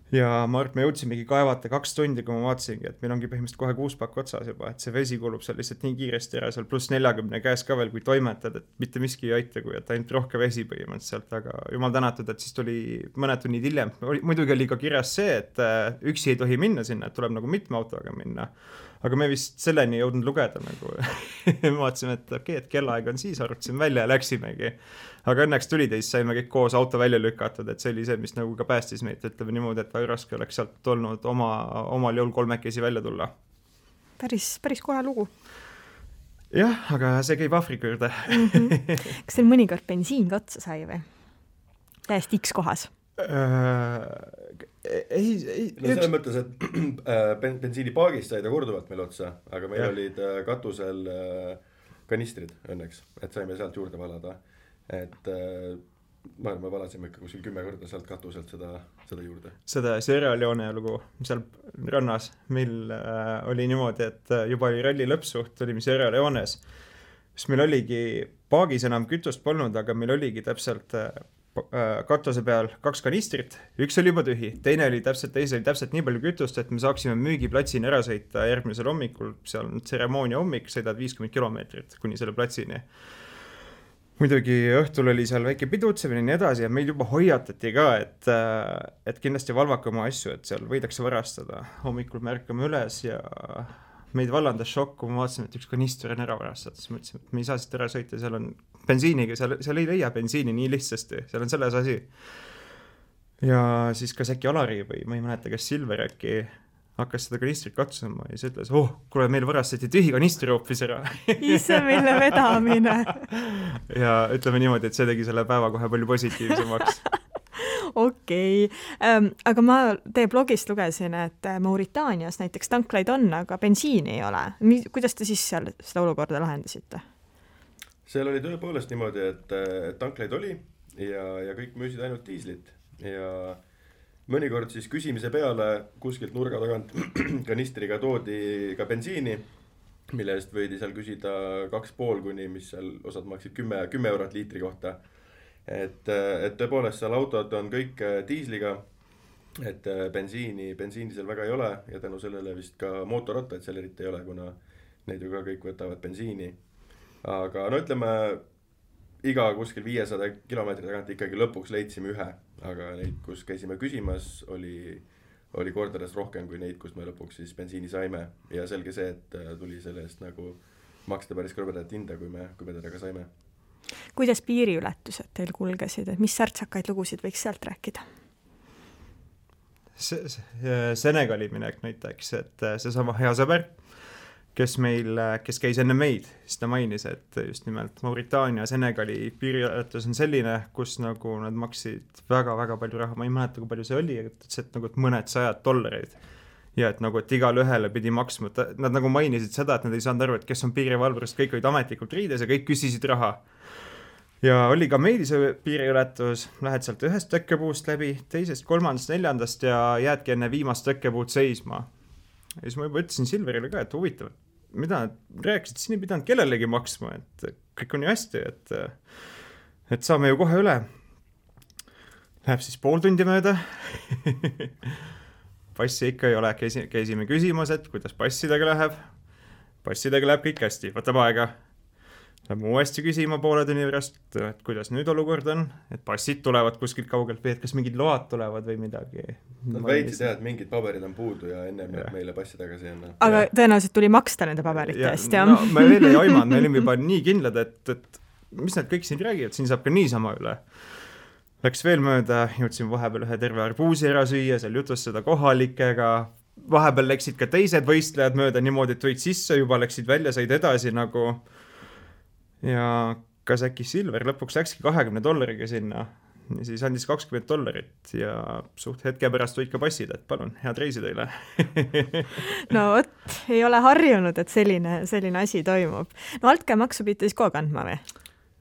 Speaker 3: Ja ma arvan, me jõudsimegi kaevata kaks tundi, kui ma vaatasingi, et meil ongi põhimõtteliselt kohe kuus pakk otsas juba, et see vesi kulub seal lihtsalt nii kiiresti ära, seal pluss neljakümne käes ka veel, kui toimetad, et mitte miski ei aita, kui et ainult rohke vesi põhimõtteliselt, aga jumal tänatud, et siis tuli mõned tunnid hiljem. Muidugi oli ka kirjas see, et üksi ei tohi minna sinna, et tuleb nagu mitme autoga minna. Aga me vist selleni jõudnud lugeda nagu. Me vaatasime, et okei, okay, et kellaaeg on siis, arvutasime välja ja läksimegi. Aga õnneks tulid ja siis saime kõik koos auto välja lükatud, et see oli see, mis nagu ka päästis meid, ütleme niimoodi, et väga raske oleks sealt olnud oma, omal jõul kolmekesi välja tulla.
Speaker 2: Päris, päris kohe lugu.
Speaker 3: Jah, aga see käib Afrika juurde.
Speaker 2: Mm-hmm. Kas teil mõnikord bensiin ka otsa sai või? Täiesti X kohas?
Speaker 3: Uh, ei, ei,
Speaker 4: no selles mõttes, et bensiinipaagist sai ta korduvalt meil otsa, aga meil ja. olid katusel kanistrid õnneks, et saime sealt juurde valada, et ma, me valasime ikka kuskil kümme korda sealt katuselt seda, seda juurde.
Speaker 3: Seda Sierra Leone lugu seal rannas meil äh, oli niimoodi, et juba oli ralli lõpsuht, olime Sierra Leones, siis meil oligi paagis enam kütust polnud, aga meil oligi täpselt äh, katuse peal kaks kanistrit, üks oli juba tühi, teine oli täpselt, teise oli täpselt nii palju kütust, et me saaksime müügiplatsini ära sõita järgmisel hommikul, seal on tseremoonia hommik, sõidad viiskümmend kilomeetrit kuni selle platsini. Muidugi õhtul oli seal väike pidutsemine ja nii edasi ja meil juba hoiatati ka, et, et kindlasti valvake oma asju, et seal võidakse varastada. Hommikul märkame üles ja meid vallandas šokk, kui me vaatasime, et üks kanister on ära varastada, siis mõtlesime, et me ei saa siit ära sõita, seal on bensiiniga, seal, seal ei leia bensiini nii lihtsasti, seal on selles asi. Ja siis kas äkki Alari või ma ei mäleta, kas Silver äkki hakkas seda kanistrit katsuma ja siis ütles, oh, kuule, meil varastati tühi kanistri hoopis ära.
Speaker 2: Ise mille vedamine.
Speaker 3: Ja ütleme niimoodi, et see tegi selle päeva kohe palju positiivsemaks.
Speaker 2: Okei, okay. Aga ma teie blogist lugesin, et Mauritaanias näiteks tanklaid on, aga bensiini ei ole. Kuidas te siis seal seda olukorda lahendasite?
Speaker 4: Seal oli tõepoolest niimoodi, et, et tanklaid oli ja, ja kõik müüsid ainult diislit ja mõnikord siis küsimise peale kuskilt nurga tagant kanistriga toodi ka bensiini, mille eest võidi seal küsida kaks pool kuni, mis seal osad maksid kümme, kümme eurot liitri kohta. Et, et tõepoolest seal autod on kõik diisliga, et bensiini, bensiini seal väga ei ole ja tänu sellele vist ka mootorrattaid seal eriti ei ole, kuna neid ju ka kõik võtavad bensiini. Aga no ütleme, iga kuskil viiesada kilomeetri tagant ikkagi lõpuks leidsime ühe, aga neid, kus käisime küsimas, oli, oli kordades rohkem kui neid, kus me lõpuks siis bensiini saime ja selge see, et tuli selle eest nagu maksta päris krõbedat hinda, kui me, kui me teda ka saime.
Speaker 2: Kuidas piiriületused teil kulgesid, et mis särtsakaid lugusid võiks sealt rääkida?
Speaker 3: Se- Senegali minek näiteks, et see sama hea sõber, kes meil, kes käis enne meid, siis ta mainis, et just nimelt Mauritaania ja Senegali piiriületus on selline, kus nagu nad maksid väga-väga palju raha, ma ei mäleta, kui palju see oli, et, et nagu et mõned sajad dollareid ja et nagu, et igal ühele pidi maksma, nad nagu mainisid seda, et nad ei saanud aru, et kes on piirivalvurist, kõik olid ametlikult riides ja kõik küsisid raha. Ja oli ka meil see piiriületus, lähed sealt ühest tõkkepuust läbi, teisest, kolmandast, neljandast ja jäädki enne viimast tõkkepuud seisma. Ja siis ma juba ütlesin Silverile ka, et huvitav, mida nad rääkisid, siin ei pidanud kellelegi maksma, et kõik on ju hästi, et, et saame ju kohe üle. Läheb siis pool tundi mööda. Passi ikka ei ole, käisime küsimas, et kuidas passidega läheb. Passidega läheb kõik hästi, võtab aega. Läheb uuesti küsima poole tunni pärast, et kuidas nüüd olukord on, et passid tulevad kuskilt kaugelt või et kas mingid load tulevad või midagi.
Speaker 4: Nad väitsid jah, et mingid paberid on puudu ja enne ja. meile passi tagasi enne.
Speaker 2: Aga ja. tõenäoliselt tuli maksta nende paberite eest, jah?
Speaker 3: No, me veel ei aimanud, me olime juba nii kindlad, et, et mis nad kõik siin räägivad, siin saab ka niisama üle. Läks veel mööda, jõudsin vahepeal ühe terve arbuusi ära süüa, seal jutustada kohalikega, vahepeal läksid ka teised võistlejad mööda niimoodi, et tulid sisse, juba läksid välja, said edasi nagu ja kas äkki Silver lõpuks läkski kahekümne dollariga sinna ja siis andis kakskümmend dollarit ja suht hetke pärast võid ka passid, et palun, head reisi teile.
Speaker 2: No vot, ei ole harjunud, et selline, selline asi toimub. No altkäemaksu pidite siis kogu kandma või?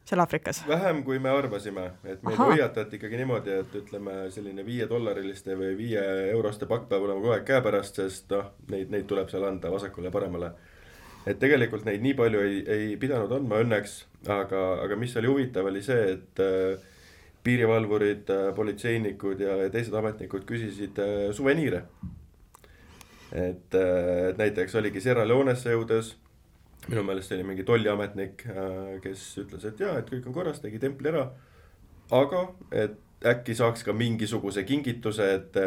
Speaker 2: Seal Afrikas? Vähem
Speaker 4: kui me arvasime, et meid hoiatati ikkagi niimoodi, et ütleme selline viie dollariliste või viie euroste pakk peab olema kogu aeg käe pärast, sest noh, neid, neid tuleb seal anda vasakule ja paremale. Et tegelikult neid nii palju ei, ei pidanud andma õnneks, aga, aga mis oli huvitav oli see, et piirivalvurid, politseinikud ja teised ametnikud küsisid suveniire. Et, et näiteks oligi Sierra Leonesse jõudes, minu meelest oli mingi tolliametnik, kes ütles, et jah, et kõik on korras, tegi templi ära, aga et äkki saaks ka mingisuguse kingituse, et,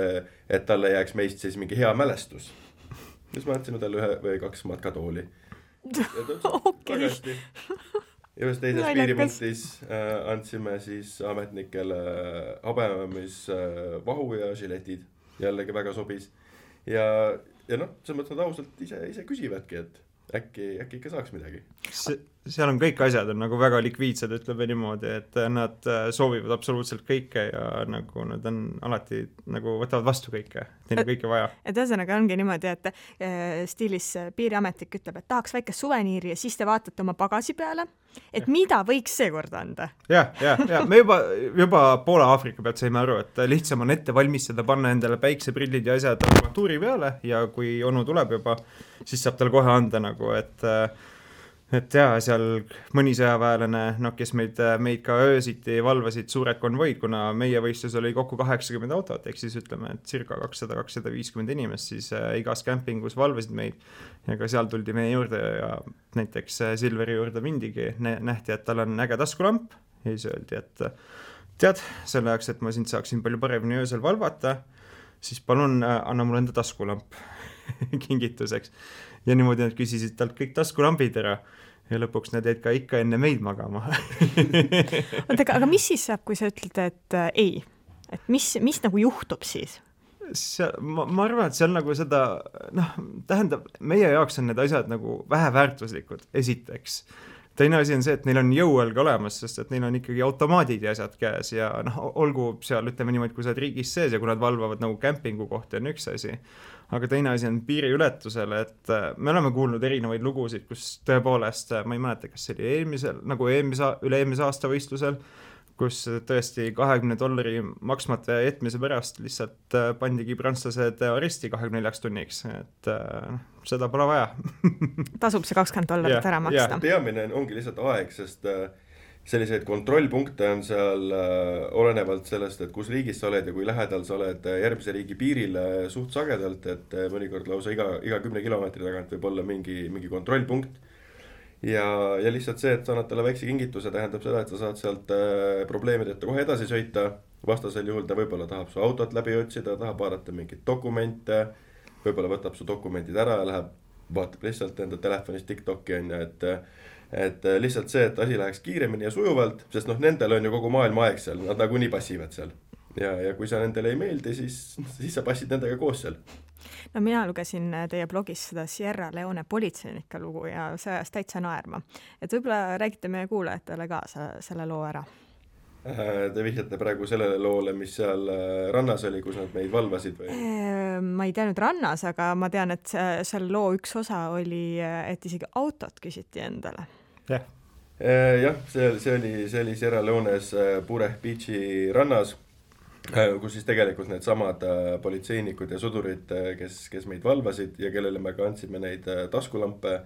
Speaker 4: et talle jääks meist siis mingi hea mälestus. Siis ma andsime talle ühe või kaks matkatooli.
Speaker 2: Okay.
Speaker 4: Ja ühes teises piiripunktis äh, andsime siis ametnikele habememis äh, vahu ja žiletid. Jällegi väga sobis. Ja, ja noh, see mõttes nad ausalt ise, ise küsivadki, et äkki, äkki ikka saaks midagi.
Speaker 3: Se, seal on kõik asjad on nagu väga likviidsed, ütleme niimoodi, et nad soovivad absoluutselt kõike ja nagu nad on alati nagu võtavad vastu kõike, neil on kõike vaja.
Speaker 2: Et ühesõnaga ongi niimoodi, et äh, stiilis piiriametnik ütleb, et tahaks väikest suveniiri ja siis te vaatate oma pagasi peale, et ja. Mida võiks seekord anda?
Speaker 3: Jah, jah, jah, me juba, juba poole Aafrika pealt saime aru, et lihtsam on ette valmistada, panna endale päikseprillid ja asjad armatuuri peale ja kui onu tuleb juba, siis saab tal kohe anda nagu, et et jaa, seal mõni sõjaväelane, no kes meid, meid ka öösiti valvasid suured konvoid, kuna meie võistlus oli kokku kaheksakümmend autot, ehk siis ütleme, et circa kakssada kuni kakssada viiskümmend inimest, siis igas kämpingus valvasid meid ja ka seal tuldi meie juurde ja näiteks Silveri juurde mindigi, nähti, et tal on äge taskulamp ja siis öeldi, et tead, selle jaoks, et ma sind saaksin palju paremini öösel valvata, siis palun anna mulle enda taskulamp kingituseks. Ja niimoodi nad küsisid talt kõik taskulambid ära ja lõpuks nad jäid ka ikka enne meid magama.
Speaker 2: Ootega, aga mis siis saab, kui sa ütled, et äh, ei? Et mis, mis nagu juhtub siis?
Speaker 3: See, ma, ma arvan, et see on nagu seda, noh, tähendab, meie jaoks on need asjad nagu väheväärtuslikud, esiteks. Teine asi on see, et neil on jõuelg olemas, sest et neil on ikkagi automaadid ja asjad käes ja noh, olgu seal, ütleme niimoodi, kui sa oled riigis sees ja kui nad valvavad nagu kämpingu kohta on üks asi. Aga teine asi on piiriületusele, et me oleme kuulnud erinevaid lugusid, kus tõepoolest, ma ei mäleta, kas see oli eelmisel, nagu eelmise, üle eelmise aasta võistlusel, kus tõesti kahekümne dollari maksmata jätmise pärast lihtsalt pandigi prantslased aresti kahekümne neljaks tunniks, et seda pole vaja.
Speaker 2: Tasub see kakskümmend dollarit ära maksta.
Speaker 4: Peamine ongi lihtsalt aeg, sest selliseid kontrollpunkte on seal olenevalt sellest, et kus riigis sa oled ja kui lähedal sa oled järgmise riigi piirile suht sagedalt, et mõnikord lausa iga, iga kümne kilomeetri tagant võib olla mingi, mingi kontrollpunkt. Ja, ja lihtsalt see, et sa annad talle väikse kingituse, tähendab seda, et sa saad sealt probleemideta kohe edasi sõita vastasel juhul ta võib-olla tahab su autot läbi otsida, tahab vaadata mingeid dokumente, võib-olla võtab su dokumendid ära ja läheb, vaatab lihtsalt enda telefonist TikToki on ju, et et lihtsalt see, et asi läheks kiiremini ja sujuvalt, sest noh, nendel on ju kogu maailma aeg seal, nad nagu nii passivad seal. Ja, ja kui sa nendele ei meeldi, siis, siis sa passid nendega koos seal.
Speaker 2: No mina lugesin teie blogis seda Sierra Leone politseinike lugu ja see ajas täitsa naerma. Et võib-olla räägite meie kuulajatele ka selle loo ära.
Speaker 4: Te vihjate praegu sellele loole, mis seal rannas oli, kus nad meid valvasid või?
Speaker 2: Ma ei tea nüüd rannas, aga ma tean, et seal loo üks osa oli, et isegi autot küsiti endale.
Speaker 3: Jah,
Speaker 4: jah see, see oli, see oli Sierra Leones Bureh Beachi rannas, kus siis tegelikult need samad politseinikud ja sudurid, kes, kes meid valvasid ja kellele me ka andsime neid taskulampe,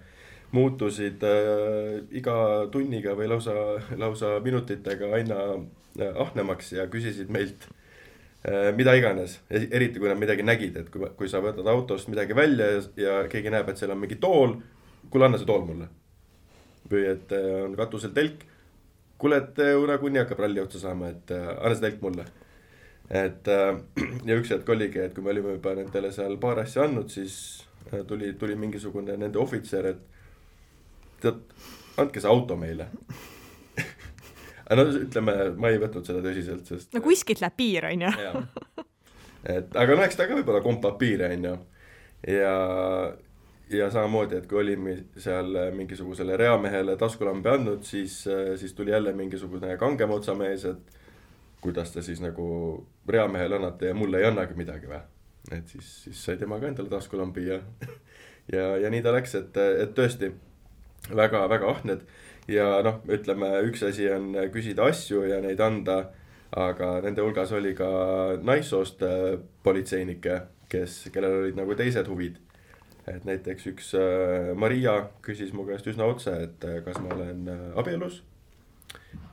Speaker 4: muutusid äh, iga tunniga või lausa, lausa minutitega aina äh, ahnemaks ja küsisid meilt äh, mida iganes. Eriti kui nad midagi nägid, et kui, kui sa võtad autost midagi välja ja, ja keegi näeb, et seal on mingi tool, kuule anna see tool mulle. Või et äh, on katusel telk, kuule, et äh, nagunii hakkab ralli otsa saama, et äh, anna see telk mulle. Et, äh, ja üks hetk oligi, et kui me olime juba nendele seal paar asja andnud, siis äh, tuli, tuli mingisugune nende ohvitser, et tead, andke see auto meile. no ütleme, ma ei võtnud seda tõsiselt, sest...
Speaker 2: No kuskilt läheb piir, on ju.
Speaker 4: Et, aga no eks ta ka võib-olla kompab piire, on ju. Ja, ja samamoodi, et kui olime seal mingisugusele reamehele taskulambi andnud, siis, siis tuli jälle mingisugune kangem otsamees, et kuidas ta siis nagu reamehele annate ja mulle ei annagi midagi või. Et siis, siis sai tema ka endale taskulambi ja, ja, ja nii ta läks, et, et tõesti väga, väga ahned ja noh, ütleme, üks asi on küsida asju ja neid anda, aga nende hulgas oli ka naissoost politseinike, kes, kellel olid nagu teised huvid. Et näiteks üks Maria küsis mu käest üsna otse, et kas ma olen abielus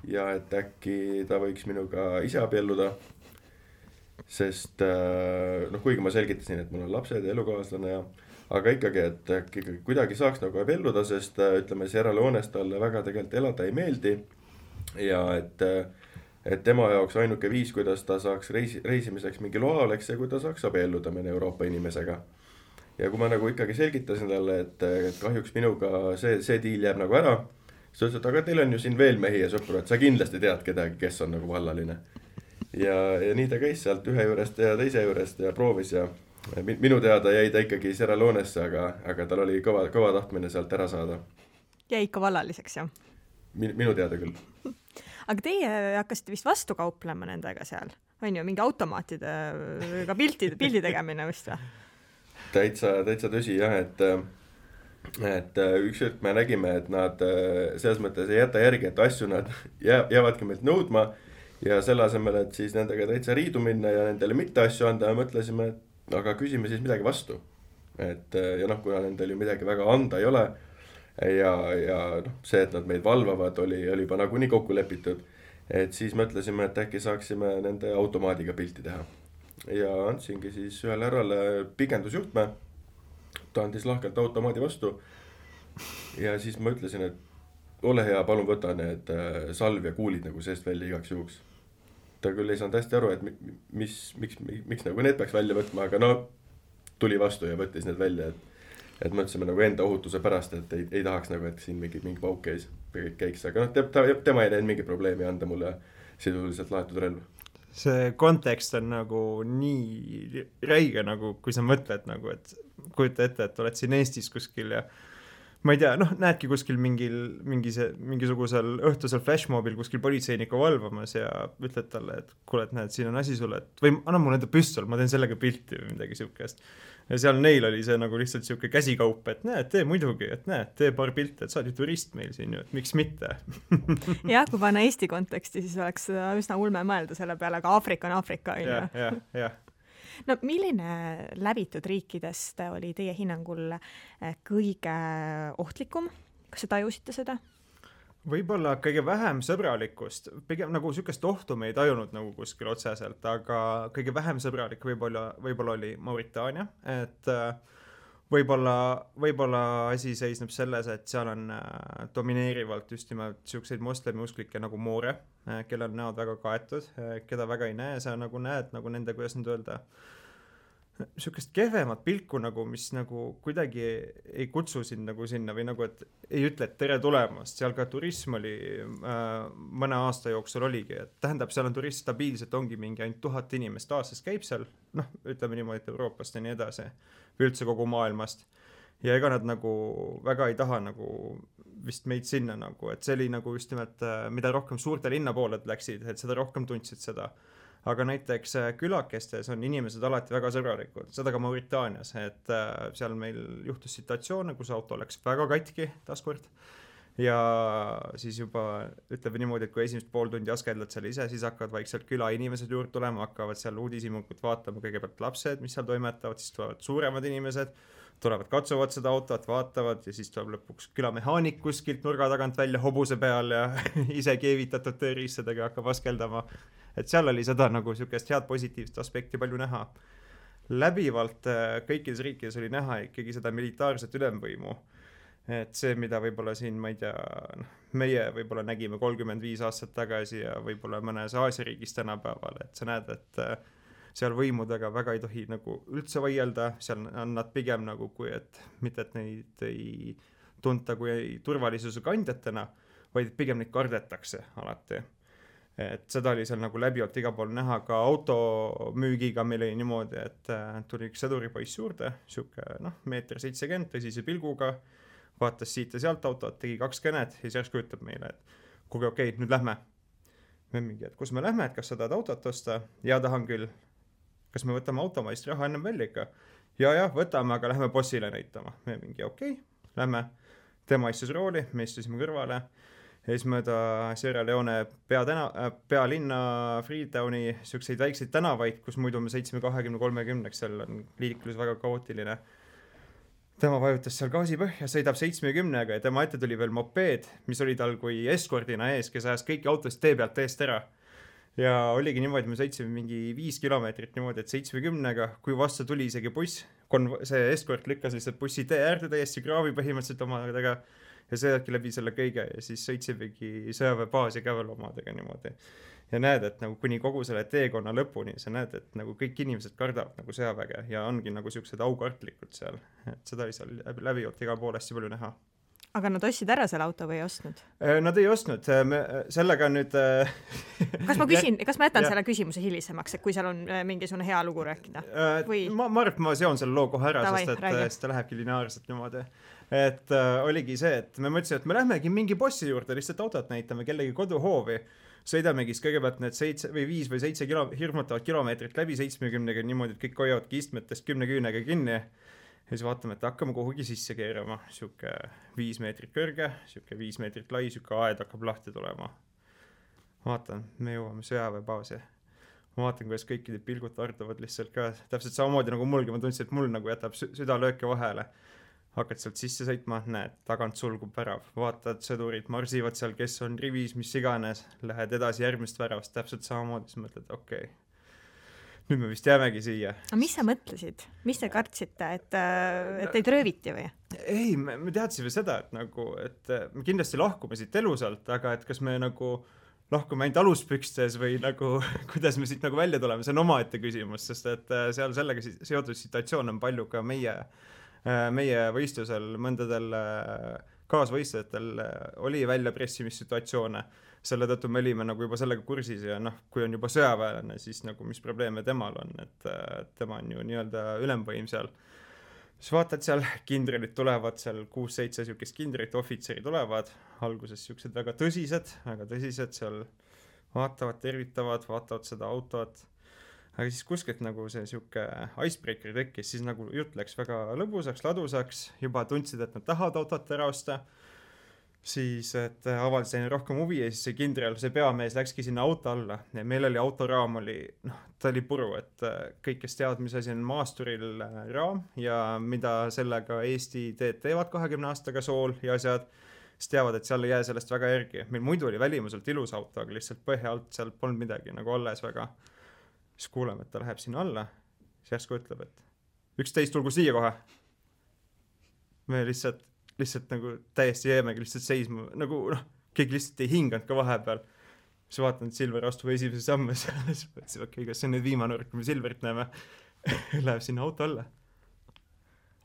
Speaker 4: ja et äkki ta võiks minuga ise abielluda, sest noh, kuigi ma selgitasin, et mul on lapsed ja elukaaslane ja aga ikkagi, et ikkagi kuidagi saaks nagu abielluda, sest ütleme, Sierra Leones talle väga tegelikult elada ei meeldi ja et, et tema jaoks ainuke viis, kuidas ta saaks reisi, reisimiseks mingi loa oleks ja kui ta saaks abielluda mõne Euroopa inimesega. Ja kui ma nagu ikkagi selgitasin talle, et, et kahjuks minuga see, see diil jääb nagu ära, siis ütles, et aga teil on ju siin veel mehi ja sõpru, et sa kindlasti tead kedagi, kes on nagu vallaline. Ja, ja nii ta käis sealt ühe juurest ja teise juurest ja proovis ja minu teada jäi ta ikkagi Sierra Leonesse, aga, aga tal oli kõva, kõva tahtmine sealt ära saada.
Speaker 2: Jäi ikka vallaliseks, jah?
Speaker 4: Min, minu teada küll.
Speaker 2: Aga teie hakkasite vist vastu kauplema nendega seal? On ju, mingi automaatidega pildi, pildi tegemine vist või?
Speaker 4: Täitsa, täitsa tõsi, jah, et, et üks hetk me nägime, et nad selles mõttes ei jäta järgi, et asju nad jäävadki meilt nõudma ja selle asemel, et siis nendega täitsa riidu minna ja nendele mitte asju anda ja mõtlesime, et aga küsime siis midagi vastu. Et ja noh, kuna nendel ju midagi väga anda ei ole ja, ja noh, see, et nad meid valvavad, oli, oli juba nagu nii kokku lepitud, et siis mõtlesime, et äkki saaksime nende automaadiga pilti teha. Ja andsingi siis ühele härrale pikendusjuhtme, ta andis lahkelt automaadi vastu ja siis ma ütlesin, et ole hea, palun võta need salv ja kuulid nagu seest välja igaks juhuks. Ta küll ei saanud hästi aru, et mis, miks, miks, miks nagu need peaks välja võtma, aga no tuli vastu ja võttis need välja, et, et mõtlesime nagu enda ohutuse pärast, et ei, ei tahaks nagu, et siin mingi, mingi pauk käis, käiks, aga noh, ta, tema ei näinud mingi probleemi anda mulle sisuliselt laetud relv.
Speaker 3: See kontekst on nagu nii räige, nagu kui sa mõtled nagu, et kujuta ette, et oled siin Eestis kuskil ja ma ei tea, noh, näedki kuskil mingil, mingis, mingisugusel õhtusel flashmobil kuskil politseiniku valvamas ja ütled talle, et kuule, et näed, siin on asi sulle, et või anna mulle enda püstol, ma teen sellega pilti või midagi siukest. Ja seal neil oli see nagu lihtsalt siuke käsikaup, et näed, tee muidugi, et näed, tee paar pilte, et sa oled ju turist meil siin ju, et miks mitte.
Speaker 2: jah, kui panna Eesti konteksti, siis oleks üsna ulme mõelda selle peale, aga Aafrika on Aafrika.
Speaker 3: Ja, ja, ja.
Speaker 2: No milline läbitud riikidest oli teie hinnangul kõige ohtlikum? Kas sa tajusite seda?
Speaker 3: Võib-olla kõige vähem sõbralikust, pigem nagu sükest ohtu me ei tajunud nagu kuskil otseselt, aga kõige vähem sõbralik võib-olla, võib-olla oli Mauritaania, et võib-olla, võib-olla asi seisneb selles, et seal on domineerivalt just nimelt siukseid moslemiusklikke nagu moore, kellel on näod väga kaetud, keda väga ei näe, sa nagu näed nagu nende, kuidas nüüd öelda, siukest kehvemat pilku nagu, mis nagu kuidagi ei kutsu sind nagu sinna või nagu, et ei ütle, et tere tulemast, seal ka turism oli äh, mõne aasta jooksul oligi, et tähendab, seal on turist stabiilselt, ongi mingi ainult tuhat inimest aastas käib seal, noh, ütleme niimoodi, et Euroopast ja nii edasi, või üldse kogu maailmast, ja ega nad nagu väga ei taha nagu vist meid sinna nagu, et see oli nagu just nimelt, mida rohkem suurte linna pooled läksid, et seda rohkem tundsid seda. Aga näiteks külakestes on inimesed alati väga sõbralikud, seda ka Mauritaanias, et seal meil juhtus situatsioone, kus auto läks väga katki taaskord ja siis juba ütleme niimoodi, et kui esimest pool tundi askeldad seal ise, siis hakkavad vaikselt küla inimesed juurde tulema, hakkavad seal uudishimukut vaatama, kõigepealt lapsed, mis seal toimetavad, siis tulevad suuremad inimesed, tulevad, katsuvad seda autot, vaatavad ja siis tuleb lõpuks külamehaanik kuskilt nurga tagant välja hobuse peal ja ise keevitatud tööriistadega hakkab askeldama. Et seal oli seda nagu siukest head positiivset aspekti palju näha. Läbivalt kõikides riikides oli näha ikkagi seda militaarset ülemvõimu. Et see, mida võib-olla siin, ma ei tea, meie võib-olla nägime kolmkümmend viis aastat tagasi ja võib-olla mõnes Aasia riigis tänapäeval, et sa näed, et seal võimudega väga ei tohi nagu üldse vaielda, seal on nad pigem nagu kui, et mitte, et neid ei tunta kui turvalisuse kandjatena, vaid pigem neid kardetakse alati. Et seda oli seal nagu läbivalt iga pool näha, ka automüügiga meil oli niimoodi, et tuli üks sõduripoiss juurde, siuke noh, meeter seitsekümmend tõsise pilguga, vaatas siit ja sealt autot, tegi kaks kõnet ja siis järsku ütleb meile, et kuulge, okei, nüüd lähme. Me mingi, et kus me lähme, et kas sa tahad autot osta? Ja tahan küll. Kas me võtame automaist raha ennem välja ikka? Ja, ja, võtame, aga lähme bossile näitama. Me mingi, okei, lähme. Tema istus rooli, me istusime kõrvale. Ja siis mööda Sierra Leone peatena, pealinna Freetowni siukseid väikseid tänavaid, kus muidu me seitsme kahekümne kolmekümneks, seal on liiklus väga kaootiline. Tema vajutas seal gaasi põhja, sõidab seitsmekümnega ja tema ette tuli veel mopeed, mis oli tal kui eskordina ees, kes ajas kõiki autost tee pealt eest ära. Ja oligi niimoodi, me sõitsime mingi viis kilomeetrit niimoodi, et seitsmekümnega, kui vastu tuli isegi buss, see eskord lükkas lihtsalt bussi tee äärde täiesti kraavi põhimõtteliselt omadega ja sõidabki läbi selle kõige ja siis sõitsimegi sõjaväebaasi ka veel omadega niimoodi. Ja näed, et nagu kuni kogu selle teekonna lõpuni, sa näed, et nagu kõik inimesed kardavad nagu sõjaväge ja ongi nagu siuksed aukartlikud seal. Et seda oli seal läbivalt iga pool hästi palju näha.
Speaker 2: Aga nad ostsid ära selle auto või ei ostnud?
Speaker 3: Nad ei ostnud, me sellega nüüd...
Speaker 2: kas ma küsin, kas ma jätan ja. selle küsimuse hilisemaks, et kui seal on mingisugune hea lugu rääkida? Või...
Speaker 3: Ma, ma arvan, et ma seon selle loo kohe ära, Tavai, sest et seda lähebki lineaarselt niimoodi. Et äh, oligi see, et me mõtlesin, et me lähmegi mingi bossi juurde, lihtsalt autot näitame kellegi koduhoovi, sõidamegi kõigepealt need seitse või viis või seitse kilo, hirmutavad kilomeetrit läbi seitsmekümnega niimoodi, et kõik hoiavadki istmetest kümne küünega kinni. Ja siis vaatame, et hakkame kuhugi sisse keerama. Siuke viis meetrit kõrge, siuke viis meetrit lai, siuke aed hakkab lahti tulema. Vaatan, me jõuame sõjaväebaasi. Ma vaatan, kuidas kõikide pilgud tarduvad lihtsalt ka. Täpselt samamoodi nagu mulgi, ma tundsin, et mul nagu jätab südalööke vahele. Hakkad sealt sisse sõitma, näed, tagant sulgub värav. Vaatad, sõdurid marsivad seal, kes on rivis, mis iganes. Lähed edasi järgmist väravast, täpselt samamoodi. Siis mõtled, okei. Okay. Nüüd me vist jäämegi siia.
Speaker 2: Aga mis sa mõtlesid? Mis te kartsite, et, et teid rööviti või?
Speaker 3: Ei, me, me teadsime seda, et, nagu, et me kindlasti lahkume siit elusalt, aga et kas me nagu lahkume ainult aluspükstes või nagu, kuidas me siit nagu välja tuleme, see on omaette küsimus, sest et seal sellega seotud situatsioon on palju ka meie, meie võistlusel, mõndadel kaasvõistlejatel oli välja pressimissituatsioone. Selle tõttu me olime nagu juba sellega kursis ja noh, kui on juba sõjaväelane, siis nagu mis probleeme temal on, et tema on ju nii-öelda ülemvõim seal. Siis vaatad seal, kindralid tulevad, seal kuus-seitse siukest kindrit, ohvitseri tulevad, alguses siuksed väga tõsised, väga tõsised seal vaatavad, tervitavad, vaatavad seda autot. Aga siis kuskilt nagu see siuke icebreaker tekkis, siis nagu jutt läks väga lõbusaks, ladusaks, juba tundsid, et nad tahavad autot ära osta. Siis, et avaldasin rohkem huvi ja siis see kindral, see peamees läkski sinna auto alla ja meil oli autoraam oli, noh, ta oli puru, et kõik, kes teavad, mis asi on maasturil raam ja mida sellega Eesti teed teevad kahekümne aastaga sool ja asjad, siis teavad, et seal ei jää sellest väga järgi. Meil muidu oli välimuselt ilus auto, aga lihtsalt põhja alt seal polnud midagi nagu alles väga. Siis kuuleme, et ta läheb sinna alla, siis järsku ütleb, et üksteist tulgu siia kohe. me lihtsalt, lihtsalt nagu täiesti jäämegi lihtsalt seisma, nagu noh, keegi lihtsalt ei hinganud ka vahepeal. Siis vaatan, et Silver astub esimese samme seal, siis mõtlesin, okei, kas see on nüüd viimane kord, kui me Silverit näeme, läheb sinna auto alla.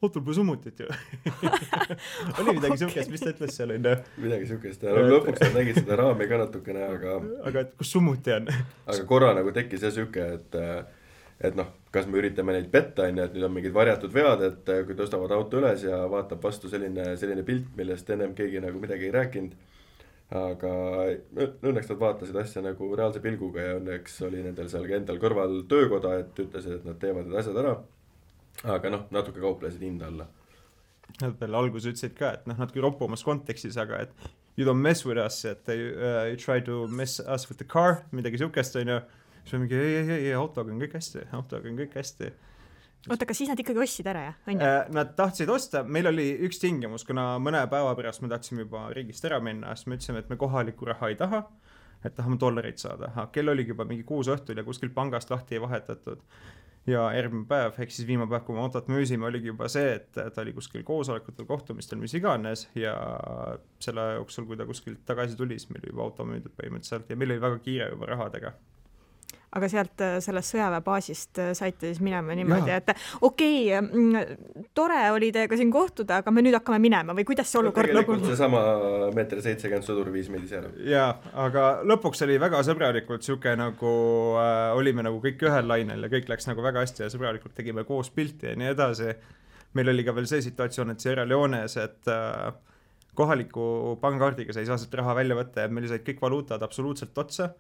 Speaker 3: Autol pole summutit ju. Oli midagi okay. Sukest, mis ta ütles seal enne?
Speaker 4: Midagi sukest, ja lõpuks nad nägid seda raami ka natukene, aga
Speaker 3: aga et kus summuti on?
Speaker 4: Aga korra nagu tekkis see süke, et et noh, kas me üritame neid petta, et nüüd on mingid varjatud vead, et kui tõstavad auto üles ja vaatab vastu selline, selline pilt, millest ennem keegi nagu midagi ei rääkinud. Aga õnneks nad vaatasid asja nagu reaalse pilguga ja õnneks oli nendel seal endal kõrval töökoda, et ütlesid, et nad teevad need asjad ära. Aga noh, natuke kauplesid hinda alla.
Speaker 3: Nad veel alguses ütlesid ka, et noh, natuke roppumas kontekstis, aga et you don't mess with us, et uh, you try to mess us with the car, midagi sukest on ju. Siis me mingi, ei, ei, ei, autoga on kõik hästi, autoga on kõik hästi.
Speaker 2: Oota, aga siis nad ikkagi ostsid ära, jah?
Speaker 3: Uh, nad tahtsid osta, meil oli üks tingimus, kuna mõne päeva pärast me tahtsime juba riigist ära minna, siis me ütlesime, et me kohaliku raha ei taha, et tahame dollareid saada. Ha, kell oligi juba mingi kuus õhtul ja kuskil pangast lahti ei vahetatud. Ja järgmine päev, ehk siis viimane päev, kui me autot müüsime, oligi juba see, et ta oli kuskil koosolekutel, kohtumistel, mis iganes ja selle jooksul, kui ta kuskilt tagasi tuli, siis meil oli juba auto müüdud põhimõtteliselt ja meil oli väga kiire juba rahadega.
Speaker 2: Aga sealt sellest sõjaväebaasist saite siis minema niimoodi, ja. Et okei, okay, tore oli teiega siin kohtuda, aga me nüüd hakkame minema või kuidas see olukord
Speaker 4: lõpuks? Tegelikult see sama meeter seitsekümmend sõdur viis meid ise ära.
Speaker 3: Jaa, aga lõpuks oli väga sõbralikult siuke nagu äh, olime nagu kõik ühel lainel ja kõik läks nagu väga hästi ja sõbralikult tegime koos pilti ja nii edasi. Meil oli ka veel see situatsioon, et Sierra Leones, et äh, kohaliku pangakaardiga sa ei saa sealt raha välja võtta ja meil said kõik valuutad absoluutselt otsa.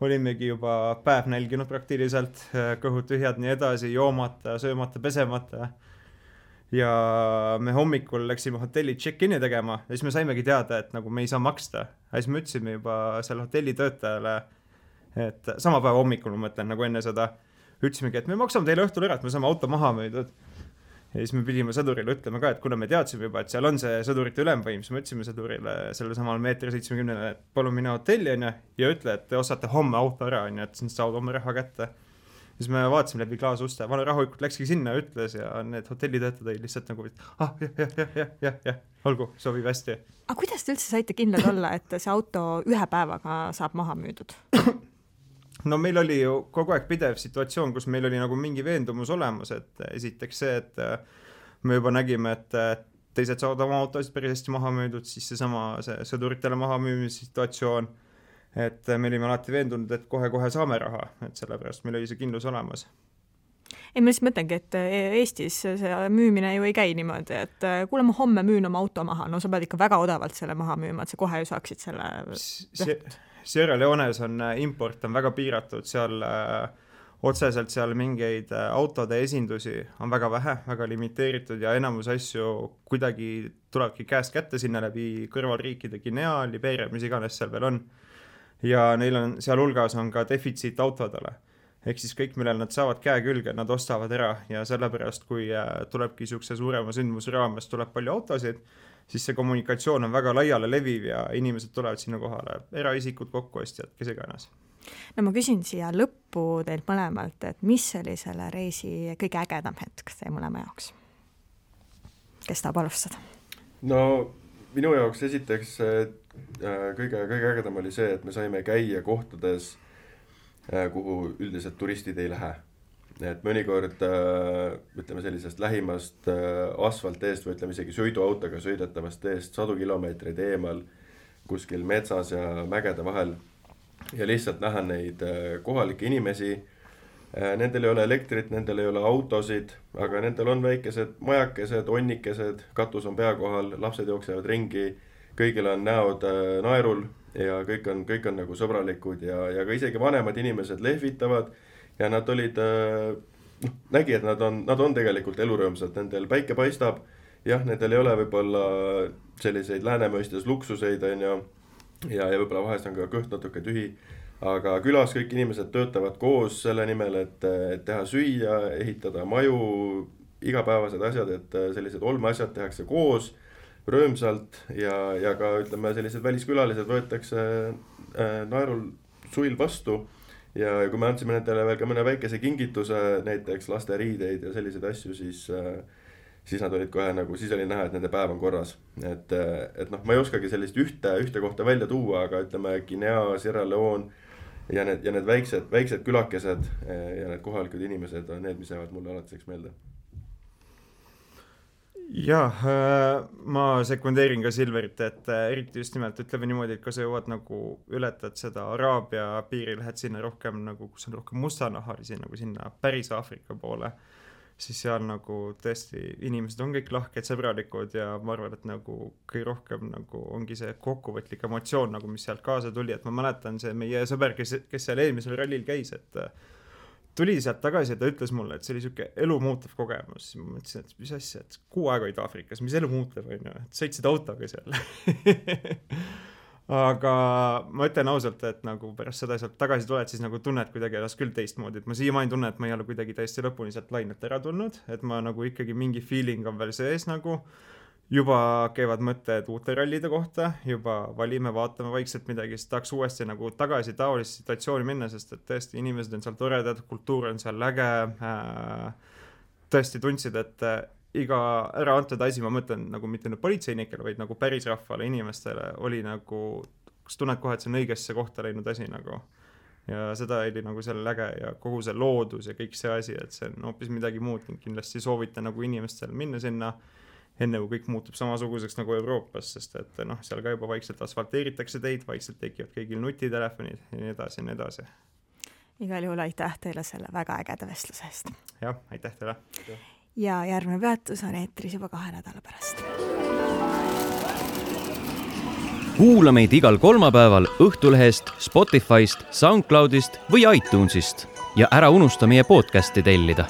Speaker 3: Olimegi juba päev nälginud praktiliselt, kõhud tühjad nii edasi, joomata, söömata, pesemata. Ja me hommikul läksime hotelli check-in'i tegema ja siis me saimegi teada, et nagu me ei saa maksta. Ja siis me ütlesime juba selle hotelli töötajale, et sama päeva hommikul ma mõtlen nagu enne seda, ütlesimegi, et me maksame teile õhtul ära, et me saame auto maha müüdud. Ja siis me pidime sõdurile ütlema ka, et kuna me teadsime juba, et seal on see sõdurite ülemvõim, siis me ütlesime sõdurile selle samal meetri seitsmekümnele, et palun mine hotelli on ja, ja ütle, et te ostate homme auto ära, on ja, et siis saavad oma raha kätte. Siis me vaatasime läbi klaasuste, vana rahulikult läkski sinna ja ütles ja need hotellitöötajad olid lihtsalt nagu, ah, jah, jah, jah, jah, jah, jah, olgu, sobib hästi.
Speaker 2: Aga kuidas te üldse saite kindlad olla, et see auto ühe päevaga saab maha müüdud?
Speaker 3: No meil oli ju kogu aeg pidev situatsioon, kus meil oli nagu mingi veendumus olemas, et esiteks see, et me juba nägime, et teised saavad oma autosid päris hästi maha müüdud, siis see sama see sõduritele maha müümise situatsioon, et me olime alati veendunud, et kohe-kohe saame raha, et sellepärast meil oli see kindlus olemas.
Speaker 2: Ei, ma siis mõtlengi, et Eestis see müümine ju ei käi niimoodi, et kuule ma homme müün oma auto maha, no sa pead ikka väga odavalt selle maha müüma, et sa kohe ju saaksid selle...
Speaker 3: See... Sierra Leones on import on väga piiratud, seal äh, otseselt seal mingeid äh, autode esindusi on väga vähe, väga limiteeritud ja enamus asju kuidagi tulebki käest kätte sinna läbi kõrvalriikide Guinea, Liberia, mis iganes seal veel on. Ja neil on, seal hulgas on ka defitsiit autodele. Ehk siis kõik, millel nad saavad käe külge, nad ostavad ära ja sellepärast, kui äh, tulebki siukse suurema sündmuse raames, tuleb palju autosid, siis see kommunikatsioon on väga laiale leviv ja inimesed tulevad sinna kohale, eraisikud, kokkuostjad, kes iganes.
Speaker 2: No ma küsin siia lõppu teilt mõlemalt, et mis oli selle reisi kõige ägedam hetk teie mõlema jaoks? Kes tahab alustada?
Speaker 4: No minu jaoks esiteks kõige, kõige ägedam oli see, et me saime käia kohtades, kuhu üldiselt turistid ei lähe. Et mõnikord, ütleme sellisest lähimast asfalteest või ütleme isegi sõiduautoga sõidetavast teest sadu kilomeetreid eemal kuskil metsas ja mägede vahel ja lihtsalt näha neid kohalikke inimesi. Nendel ei ole elektrit, nendel ei ole autosid, aga nendel on väikesed majakesed, onnikesed, katus on pea kohal, lapsed jooksevad ringi, kõigil on näod naerul ja kõik on, kõik on nagu sõbralikud ja, ja ka isegi vanemad inimesed lehvitavad. Ja nad olid, noh, nägi, et nad on, nad on tegelikult elurõõmsad, nendel päike paistab, jah, nendel ei ole võib-olla selliseid läänemõistes luksuseid, on ju, ja, ja võib-olla vahest on ka kõht natuke tühi, aga külas kõik inimesed töötavad koos selle nimel, et, et teha süüa, ehitada maju, igapäevased asjad, et sellised olmeasjad tehakse koos, rõõmsalt ja, ja ka, ütleme, sellised väliskülalised võetakse äh, naerul suil vastu. Ja kui me andsime nendele veel ka mõne väikese kingituse, näiteks laste riideid ja selliseid asju, siis, siis nad olid kohe nagu, siis oli näha, et nende päev on korras. Et, et noh, ma ei oskagi sellist ühte, ühte kohta välja tuua, aga ütleme Guinea, Sierra Leone ja need, ja need väiksed, väiksed külakesed ja need kohalikud inimesed on need, mis jäävad mulle alatiseks meelde.
Speaker 3: Jah, ma sekundeerin ka Silverit, et eriti just nimelt ütleme niimoodi, et kui sa jõuad nagu ületad seda Araabia piiri, lähed sinna rohkem nagu, kus on rohkem mustanahalisi nagu sinna päris Aafrika poole, siis seal nagu tõesti inimesed on kõik lahked, sõbralikud ja ma arvan, et nagu kõige rohkem nagu ongi see kokkuvõtlik emotsioon nagu, mis sealt kaasa tuli, et ma mäletan see meie sõber, kes, kes seal eelmisel rallil käis, et tuli sealt tagasi ja ta ütles mulle, et see oli siuke elu muutev kogemus. Ma mõtlesin, et mis asja, et kuu aega olid Aafrikas, mis elu muutev on ju, et sõitsid autoga seal. Aga ma ütlen ausalt, et nagu pärast seda sealt tagasi tuled, siis nagu tunned kuidagi ennast küll teistmoodi, et ma siiamaani tunnen, et ma ei ole kuidagi täiesti lõpuni sealt lainet ära tulnud, et ma nagu ikkagi mingi feeling on veel sees nagu, juba käivad mõtted uute rallide kohta, juba valime, vaatame vaikselt midagi, siis tahaks uuesti nagu tagasi taolisse situatsiooni minna, sest et tõesti inimesed on seal toredad, kultuur on seal läge, tõesti tundsid, et iga ära antud asi, ma mõtlen nagu mitte nüüd politseinikele, vaid nagu päris rahvale, inimestele oli nagu, kus tunned kohe, et see on õigesse kohta läinud asi nagu. Ja seda oli nagu selle läge ja kogu see loodus ja kõik see asi, et see on hoopis midagi muud, kindlasti soovita nagu inimestel minna sinna, enne kui kõik muutub samasuguseks nagu Euroopas, sest et noh, seal ka juba vaikselt asfalteeritakse teid, vaikselt tekivad kõigil nutitelefonid ja nii edasi ja nii edasi.
Speaker 2: Igal juhul aitäh teile selle väga ägeda vestluse eest.
Speaker 3: Jah, aitäh teile.
Speaker 2: Ja järgmine peatus on eetris juba kahe nädala pärast.
Speaker 1: Kuula meid igal kolmapäeval Õhtulehest, Spotify'st, SoundCloud'ist või iTunes'ist ja ära unusta meie podcasti tellida.